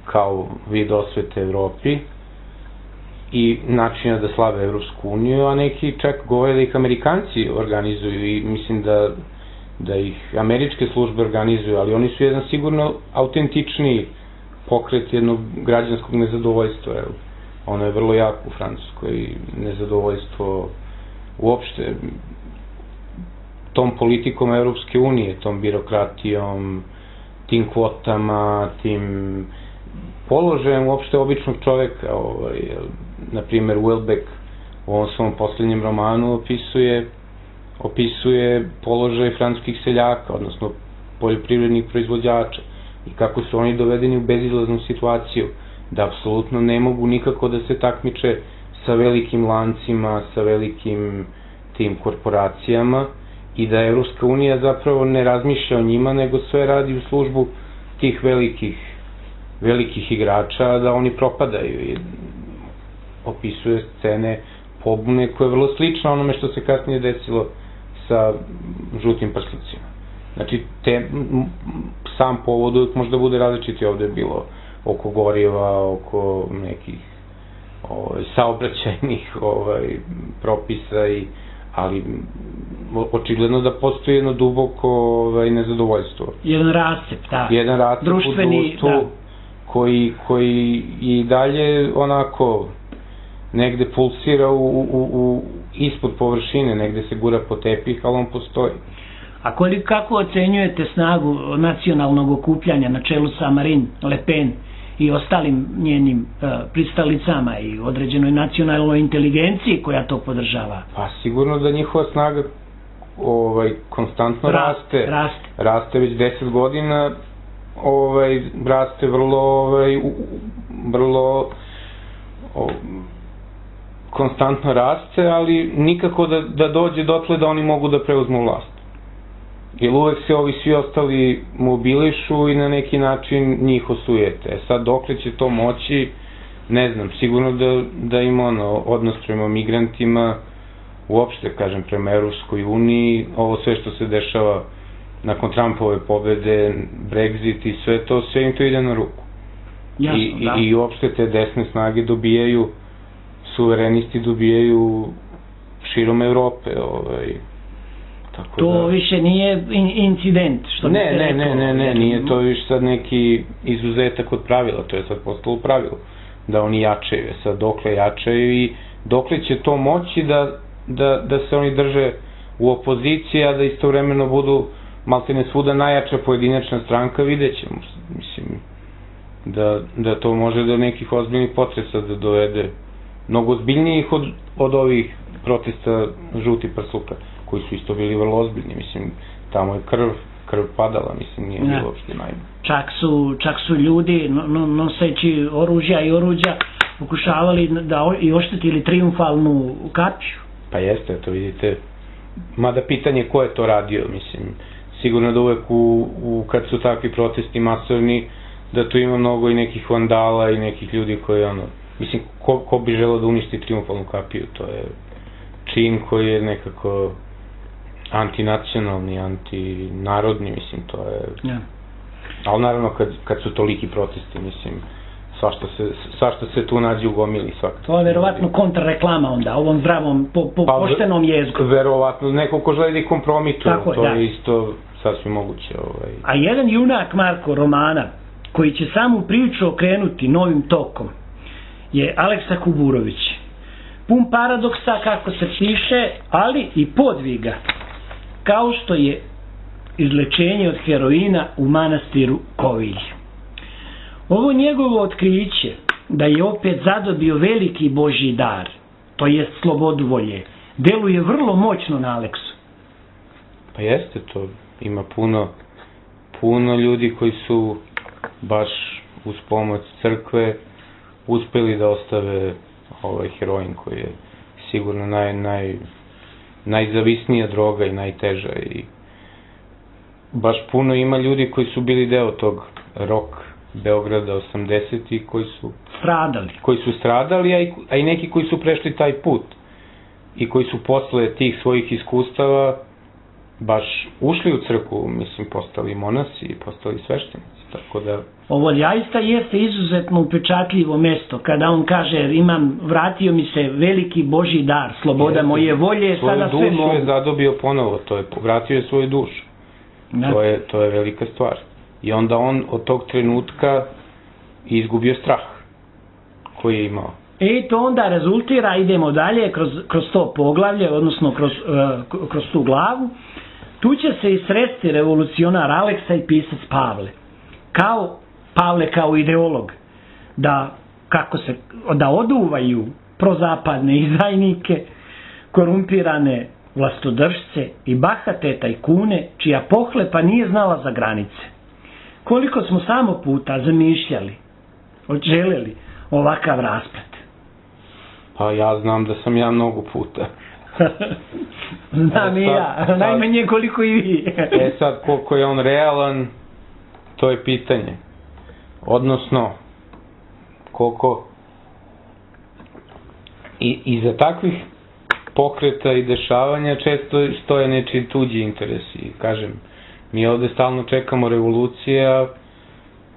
kao vid osvete Evropi i načina da slave Evropsku uniju, a neki čak govore da ih Amerikanci organizuju i mislim da ih američke službe organizuju, ali oni su jedan sigurno autentičniji pokret jednog građanskog nezadovoljstva. Ono je vrlo jako u Francuskoj, nezadovoljstvo uopšte tom politikom Evropske unije, tom birokratijom, tim kvotama, tim položajem uopšte običnog čoveka. Na primer, Houellebecq u ovom svom posljednjem romanu opisuje položaj francuskih seljaka, odnosno poljoprivrednih proizvođača i kako su oni dovedeni u bezizlaznu situaciju, da apsolutno ne mogu nikako da se takmiče sa velikim lancima, sa velikim tim korporacijama, i da Evropska unija zapravo ne razmišlja o njima, nego sve radi u službu tih velikih igrača, da oni propadaju. I opisuje scene pobune koje je vrlo slično onome što se kasnije desilo sa žutim prslucima. Znači, sam povod uvijek možda bude različiti, ovde je bilo oko goriva, oko nekih saobraćajnih propisa, ali očigledno da postoji jedno duboko nezadovoljstvo. Jedan rascep, da. Jedan rascep u društvu koji i dalje onako negde pulsira ispod površine, negde se gura po tepih, ali on postoji. A kako ocenjujete snagu nacionalnog okupljanja na čelu sa Marine Le Pen i ostalim njenim pristalicama i određenoj nacionalnoj inteligenciji koja to podržava? Pa sigurno da njihova snaga konstantno raste već 10 godina, raste vrlo konstantno raste, ali nikako da dođe dotle da oni mogu da preuzmu vlast. Jer uvek se ovi svi ostali mobilišu i na neki način njih osujete. Sad dokle će to moći, ne znam, sigurno da ima odnos prema migrantima, uopšte, kažem, prema Evropskoj uniji, ovo sve što se dešava nakon Trumpove pobede, Brexit i sve to, sve im to ide na ruku. Jasno, I uopšte te desne snage dobijaju, suverenisti dobijaju širom Evrope, tako to više nije incident, što bi se rekao. Ne, nije to više sad neki izuzetak od pravila, to je sad postalo pravilo, da oni jačaju, sad dokle jačaju i dokle će to moći da se oni drže u opoziciji, a da istovremeno budu maltene svuda najjača pojedinačna stranka, vidjet ćemo, mislim, da to može do nekih ozbiljnih potresa da dovede, mnogo ozbiljnijih od ovih protesta žuti prsluka, koji su isto bili vrlo ozbiljni, mislim, tamo je krv padala, mislim, nije bilo uopšte najbolje. Čak su ljudi noseći oružja i oruđa pokušavali da i oštetili triumfalnu kapiju. Pa jeste, to vidite, mada pitanje ko je to radio, mislim, sigurno da uvek kad su takvi protesti masovni, da tu ima mnogo i nekih vandala i nekih ljudi koji, mislim, ko bi želeo da uništi triumfalnu kapiju, to je čin koji je nekako antinacionalni, antinarodni, mislim, to je... Ali naravno, kad su toliki protesti, mislim, svašta se tu nađe u gomili svakako. To je verovatno kontrareklama onda, ovom zdravom, poštenom jezgu. Verovatno, neko ko želi da kompromituje, to je isto sasvim moguće. A jedan junak Marko romana, koji će samu priču okrenuti novim tokom, je Aleksa Kuburović. Pun paradoksa, kako se piše, ali i podviga, kao što je izlečenje od heroina u manastiru Kovilj. Ovo njegovo otkriće da je opet zadobio veliki Božji dar, to jest slobodu volje, deluje vrlo moćno na Aleksu. Pa jeste to, ima puno ljudi koji su baš uz pomoć crkve uspeli da ostave ovaj heroin koji je sigurno najzavisnija droga i najteža i baš puno ima ljudi koji su bili deo tog rock Beograda 80-ih koji su stradali, a i neki koji su prešli taj put i koji su posle tih svojih iskustava baš ušli u crkvu, mislim, postali monasi i postali sveštenici, tako da... Ovo zaista jeste izuzetno upečatljivo mesto, kada on kaže, vratio mi se veliki Božji dar, sloboda moje volje, sada sve mogu. Svoju dušu je zadobio ponovo, vratio je svoju dušu. To je velika stvar. I onda on od tog trenutka izgubio strah koji je imao. I to onda rezultira, idemo dalje, kroz to poglavlje, odnosno kroz tu glavu, tu će se i sresti revolucionar Aleksa i pisac Pavle. Pavle kao ideolog, da oduvaju prozapadne izdajnike, korumpirane vlastodržce i bahate tajkune, čija pohlepa nije znala za granice. Koliko smo samo puta zamišljali, želeli ovakav rasplet? Pa ja znam da sam ja mnogo puta. Znam i ja, najmanje koliko i vi. Sad, koliko je on realan, to je pitanje. Odnosno, koliko iza takvih pokreta i dešavanja često stoje nečiji tuđi interesi. Kažem, mi ovde stalno čekamo revolucije, a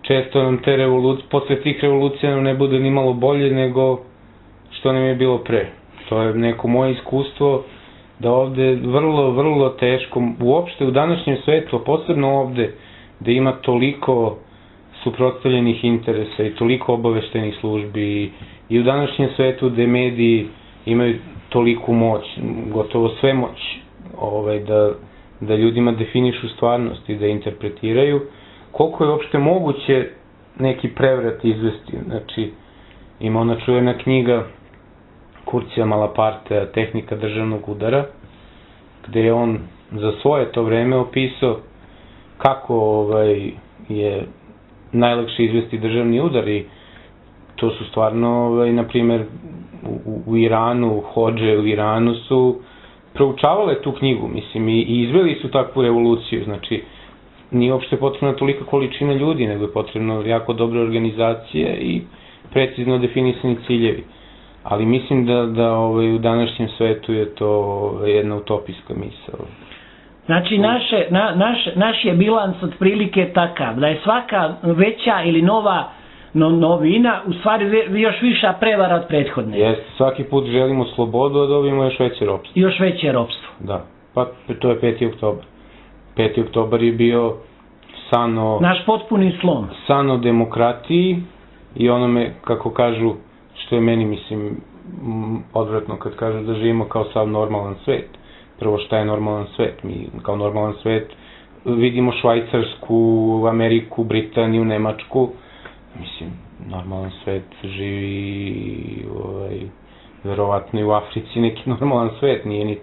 često nam te revolucije, posle tih revolucija nam ne bude ni malo bolje nego što nam je bilo pre. To je neko moje iskustvo da ovde vrlo, vrlo teško, uopšte u današnjem svetu, a posebno ovde, da ima toliko suprotstavljenih interesa i toliko obaveštenih službi i u današnjem svetu gde mediji imaju toliku moć, gotovo sve moć, da ljudima definišu stvarnost i da interpretiraju, koliko je uopšte moguće neki prevrat izvesti. Znači, ima ona čuvena knjiga Kurcija Malapartea, Tehnika državnog udara, gde je on za svoje to vreme opisao kako je najlakše izvesti državni udar i to su stvarno, na primer, u Iranu, hodže u Iranu su proučavale tu knjigu, mislim, i izveli su takvu revoluciju, znači, nije uopšte potrebna tolika količina ljudi, nego je potrebno jako dobre organizacije i precizno definisani ciljevi. ali mislim da u današnjem svetu je to jedna utopijska misao. Znači, naš je bilans otprilike takav, da je svaka veća ili nova novina u stvari još viša prevara od prethodne. Jeste, svaki put želimo slobodu, a dobijemo još veće ropstvo. Još veće ropstvo. Da, pa to je 5. oktobar. 5. oktobar je bio naš potpuni slom. San o demokratiji i onome, kako kažu, što je meni, mislim, odvratno kad kažu da živimo kao sav normalan svet. Prvo, šta je normalan svet? Mi kao normalan svet vidimo Švajcarsku, Ameriku, Britaniju, Nemačku. Mislim, normalan svet živi verovatno i u Africi neki normalan svet. Nije ni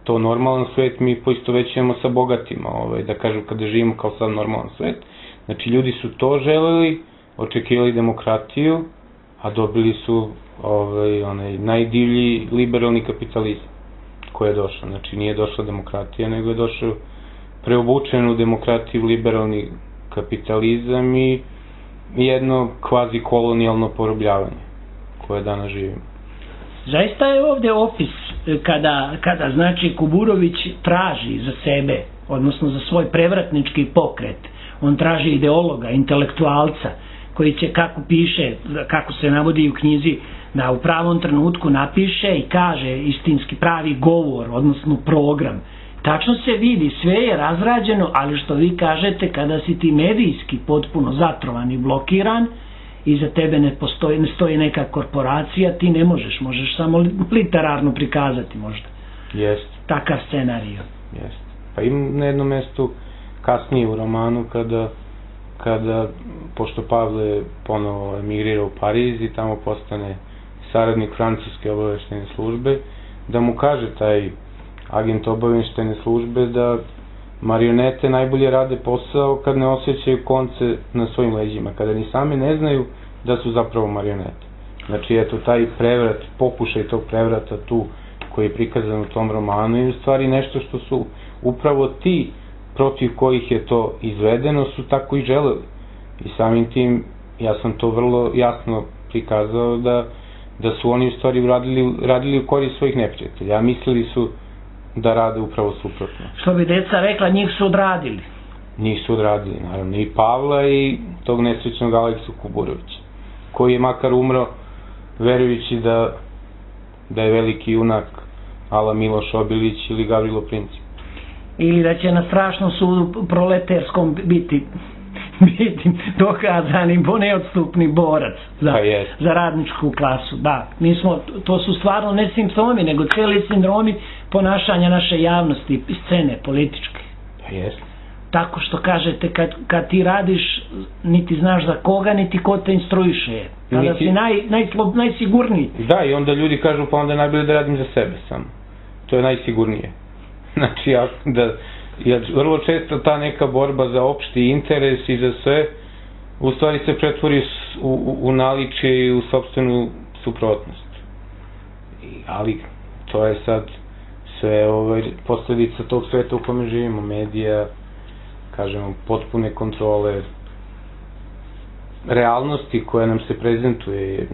to normalan svet, mi poistovećujemo sa bogatima, da kažu kada živimo kao sav normalan svet. Znači, ljudi su to želeli, očekivali demokratiju, a dobili su onaj najdivlji liberalni kapitalizam koji je došao. Znači, nije došla demokratija, nego je došao preobučen u demokratiju liberalni kapitalizam i jedno kvazi kolonijalno porobljavanje koje danas živimo. Zaista je ovdje opis kada znači Kuburović traži za sebe, odnosno za svoj prevratnički pokret, on traži ideologa, intelektualca koji će, kako piše, kako se navodi u knjizi, da u pravom trenutku napiše i kaže istinski pravi govor, odnosno program. Tačno se vidi, sve je razrađeno, ali što vi kažete, kada si ti medijski potpuno zatrovan i blokiran, i za tebe ne stoji neka korporacija, ti ne možeš samo literarno prikazati možda. Jest. Takav scenarij. Jest. Pa imam na jednom mestu kasnije u romanu kada pošto Pavle ponovo emigrira u Pariz i tamo postane saradnik francuske obaveštene službe, da mu kaže taj agent obaveštene službe da marionete najbolje rade posao kad ne osjećaju konce na svojim leđima, kada ni same ne znaju da su zapravo marionete. Znači, eto, taj prevrat, pokušaj tog prevrata tu koji je prikazan u tom romanu je u stvari nešto što su upravo ti protiv kojih je to izvedeno su tako i želeli. I samim tim, ja sam to vrlo jasno prikazao da su oni u stvari radili u korist svojih neprijatelja. Ja mislili su da rade upravo suprotno. Što bi deca rekla, njih su odradili. Njih su odradili, naravno, i Pavla i tog nesrećnog Aleksu Kuburovića, koji je makar umro verujući da je veliki junak ala Miloš Obilić ili Gavrilo Princip. Ili da će na strašnom sudu proleterskom biti dokazani neodstupni borac za radničku klasu. Da, to su stvarno ne simptomi, nego cijeli sindromi ponašanja naše javnosti, scene političke. Pa jest. Tako što kažete, kad ti radiš, niti znaš za koga, niti ko te instruiše. Kada si najsigurniji. Da, i onda ljudi kažu, pa onda je najbolje da radim za sebe samo. To je najsigurnije. Znači, vrlo često ta neka borba za opšti interes i za sve, u stvari se pretvori u naličje i u sopstvenu suprotnost. Ali to je sad sve posledica tog sveta u kome živimo, medija, kažemo, potpune kontrole realnosti koja nam se prezentuje.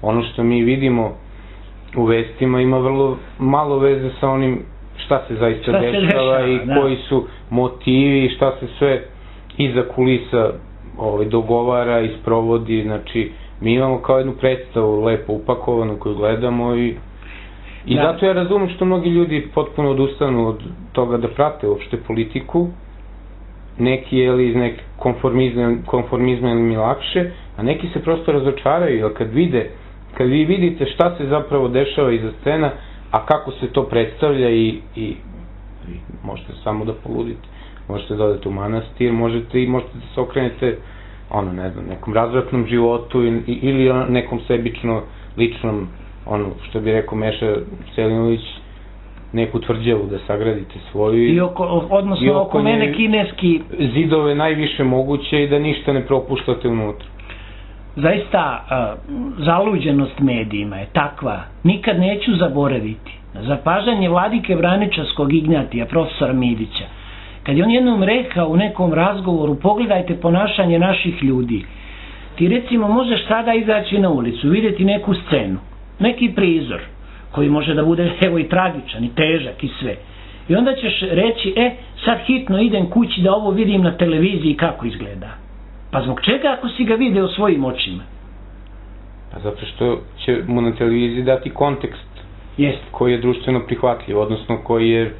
Ono što mi vidimo u vestima ima vrlo malo veze sa onim šta se zaista dešava i koji su motivi, šta se sve iza kulisa dogovara i sprovodi. Znači, mi imamo kao jednu predstavu lepo upakovanu koju gledamo i zato ja razumem što mnogi ljudi potpuno odustanu od toga da prate uopšte politiku. Neki je iz neke konformizma ili mi lakše, a neki se prosto razočaraju, jer kad vi vidite šta se zapravo dešava iza scena, a kako se to predstavlja i možete samo da poludite. Možete da odete u manastir, možete da se okrenete nekom razvratnom životu ili nekom sebično, ličnom, što bi rekao Meša Selimović, neku tvrđavu da sagradite svoju. Odnosno oko mene kineski zidove najviše moguće i da ništa ne propuštate unutra. Zaista, zaluđenost medijima je takva, nikad neću zaboraviti zapažanje vladike Vraničarskog Ignjatija, profesora Midića, kad je on jednom rekao u nekom razgovoru, pogledajte ponašanje naših ljudi. Ti recimo možeš sada izaći na ulicu, vidjeti neku scenu, neki prizor koji može da bude evo i tragičan i težak i sve. I onda ćeš reći, sad hitno idem kući da ovo vidim na televiziji kako izgleda. Pa zbog čega ako si ga video svojim očima? Pa zato što će mu na televiziji dati kontekst koji je društveno prihvatljiv, odnosno koji je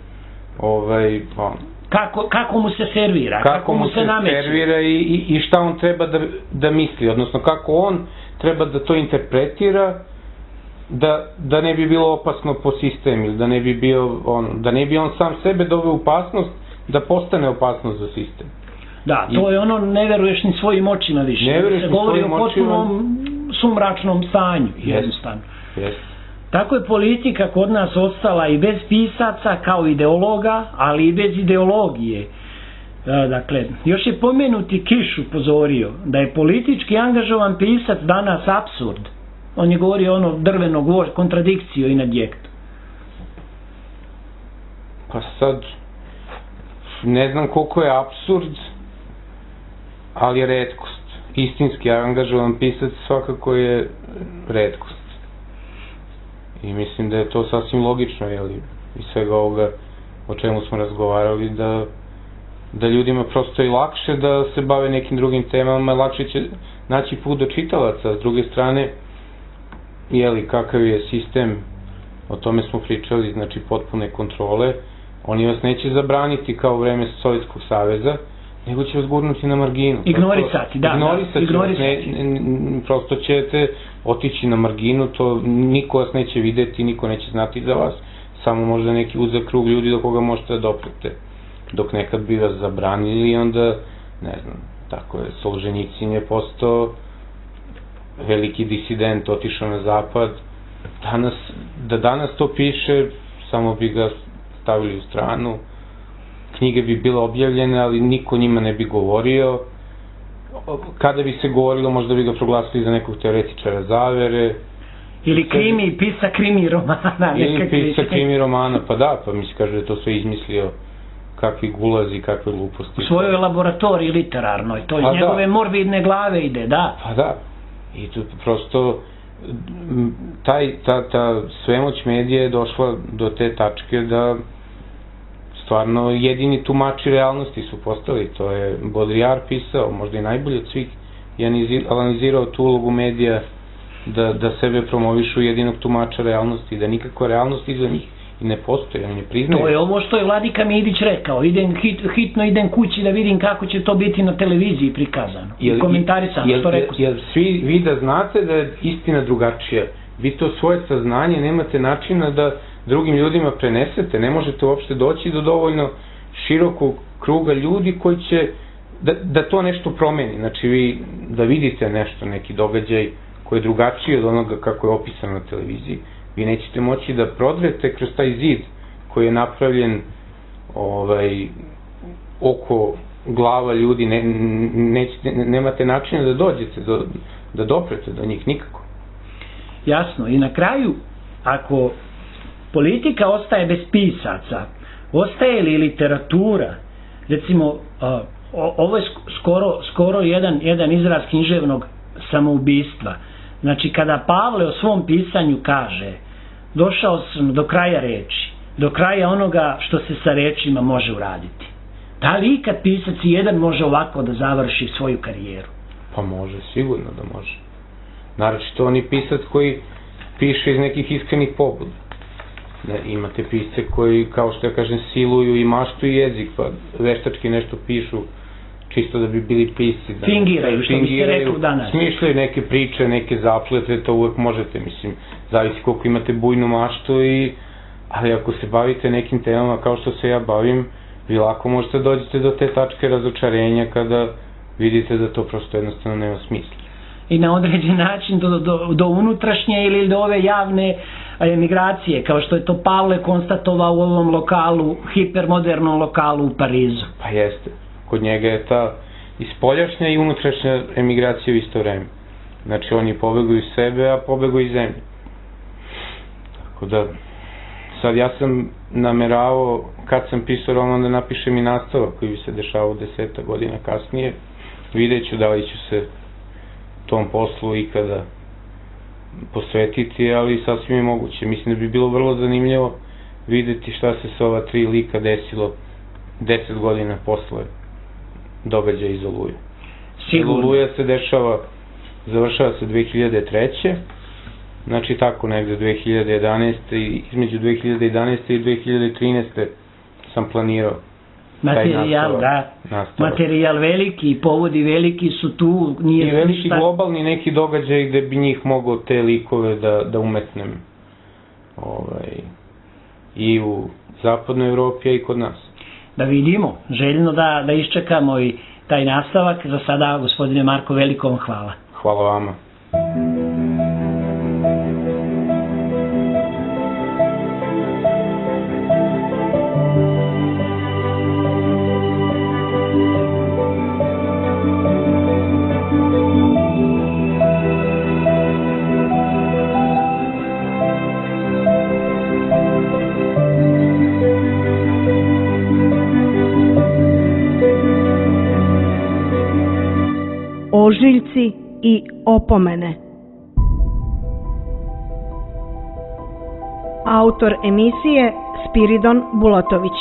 kako mu se servira, kako mu se nameće. Servira i šta on treba da misli, odnosno kako on treba da to interpretira da ne bi bilo opasno po sistem ili da ne bi on sam sebe doveo u opasnost da postane opasnost za sistem. Da, to je ono, ne veruješ ni svojim očima više. Ne veruješ ni svojim očima. Se govori o potpunom sumračnom stanju, jednostavno. Tako je politika kod nas ostala i bez pisaca kao ideologa, ali i bez ideologije. Dakle, još je pomenuti Kiš upozorio da je politički angažovan pisac danas apsurd. On je govorio ono drveno gvožđ, kontradikciju i nadjektu. Pa sad, ne znam koliko je apsurd, ali je retkost. Istinski angažovan pisac svakako je retkost. I mislim da je to sasvim logično, iz svega ovoga o čemu smo razgovarali, da ljudima prosto je lakše da se bave nekim drugim temama, lakše će naći put do čitalaca. S druge strane, kakav je sistem, o tome smo pričali, znači potpune kontrole, oni vas neće zabraniti kao u vreme Sovjetskog saveza, nego će vas gurnuti na marginu. Ignorisati, da. Prosto ćete otići na marginu, niko vas neće videti, niko neće znati za vas, samo možda neki uzak krug ljudi do koga možete da doprete. Dok nekad bi vas zabranili i onda, ne znam, tako je, Solženjicin je postao veliki disident, otišao na zapad. Danas to piše, samo bi ga stavili u stranu, knjige bi bile objavljene, ali niko njima ne bi govorio. Kada bi se govorilo, možda bi ga proglasili za nekog teoretičara zavere. Ili pisa krimi romana. Ili pisa krimi romana, pa da, pa mi se kaže da je to sve izmislio, kakvi gulazi, kakve gluposti. U svojoj laboratoriji literarnoj, to iz njegove morbidne glave ide, da. Pa da, i tu prosto ta svemoć medija je došla do te tačke da stvarno jedini tumači realnosti su postali. To je Baudrillard pisao, možda i najbolje od svih, je analizirao tu ulogu medija da sebe promovišu jedinog tumača realnosti, da nikakva realnost iza njih i ne postoji, oni ne priznaju. To je ovo što je Vladika Midić rekao, hitno idem kući da vidim kako će to biti na televiziji prikazano i komentarisano, što rekao. Jer svi vi da znate da je istina drugačija, vi to svoje saznanje nemate načina da drugim ljudima prenesete, ne možete uopšte doći do dovoljno širokog kruga ljudi koji će da to nešto promeni. Znači vi da vidite nešto, neki događaj koji je drugačiji od onoga kako je opisano na televiziji, vi nećete moći da prodrete kroz taj zid koji je napravljen oko glava ljudi, nemate načina da dođete, da doprete do njih nikako. Jasno, i na kraju, ako politika ostaje bez pisaca, ostaje li literatura, recimo, ovo je skoro jedan izraz književnog samoubistva. Znači, kada Pavle o svom pisanju kaže, došao sam do kraja reči, do kraja onoga što se sa rečima može uraditi. Da li ikad pisac jedan može ovako da završi svoju karijeru? Pa može, sigurno da može. Naročito on je pisac koji piše iz nekih iskrenih pobuda. Imate pisce koji, kao što ja kažem, siluju i maštuju jezik, pa veštački nešto pišu čisto da bi bili pisci. Fingiraju, što biste rekli danas. Smišljaju neke priče, neke zapletve, to uvek možete, mislim, zavisi koliko imate bujnu maštu, ali ako se bavite nekim temama kao što se ja bavim, vi lako možete dođete do te tačke razočarenja kada vidite da to prosto jednostavno nema smisla. I na određen način do unutrašnje ili do ove javne emigracije, kao što je to Pavle konstatovao u ovom lokalu, hipermodernom lokalu u Parizu. Pa jeste. Kod njega je ta i spoljašnja i unutrašnja emigracija u isto vreme. Znači oni pobegu iz sebe, a pobegu iz zemlje. Tako da, sad ja sam nameravao, kad sam pisao roman, da napišem i nastavak koji bi se dešavao 10 godina kasnije. Vidjet ću da li ću se tom poslu ikada posvetiti, ali sasvim je moguće. Mislim da bi bilo vrlo zanimljivo videti šta se sa ova 3 lika desilo 10 godina posle događaja iz Oluje. Sigurno. Oluja se završava se 2003. Znači tako negde 2011. Između 2011. i 2013. sam planirao Materijal, da. Materijal veliki, povodi veliki su tu. I veliki globalni neki događaj gde bi njih moglo te likove da umetnem. I u zapadnoj Evropi, a i kod nas. Da vidimo, željno da iščekamo i taj nastavak. Za sada, gospodine Marko, veliko vam hvala. Hvala vama. Ožiljci i opomene. Autor emisije Spiridon Bulatović.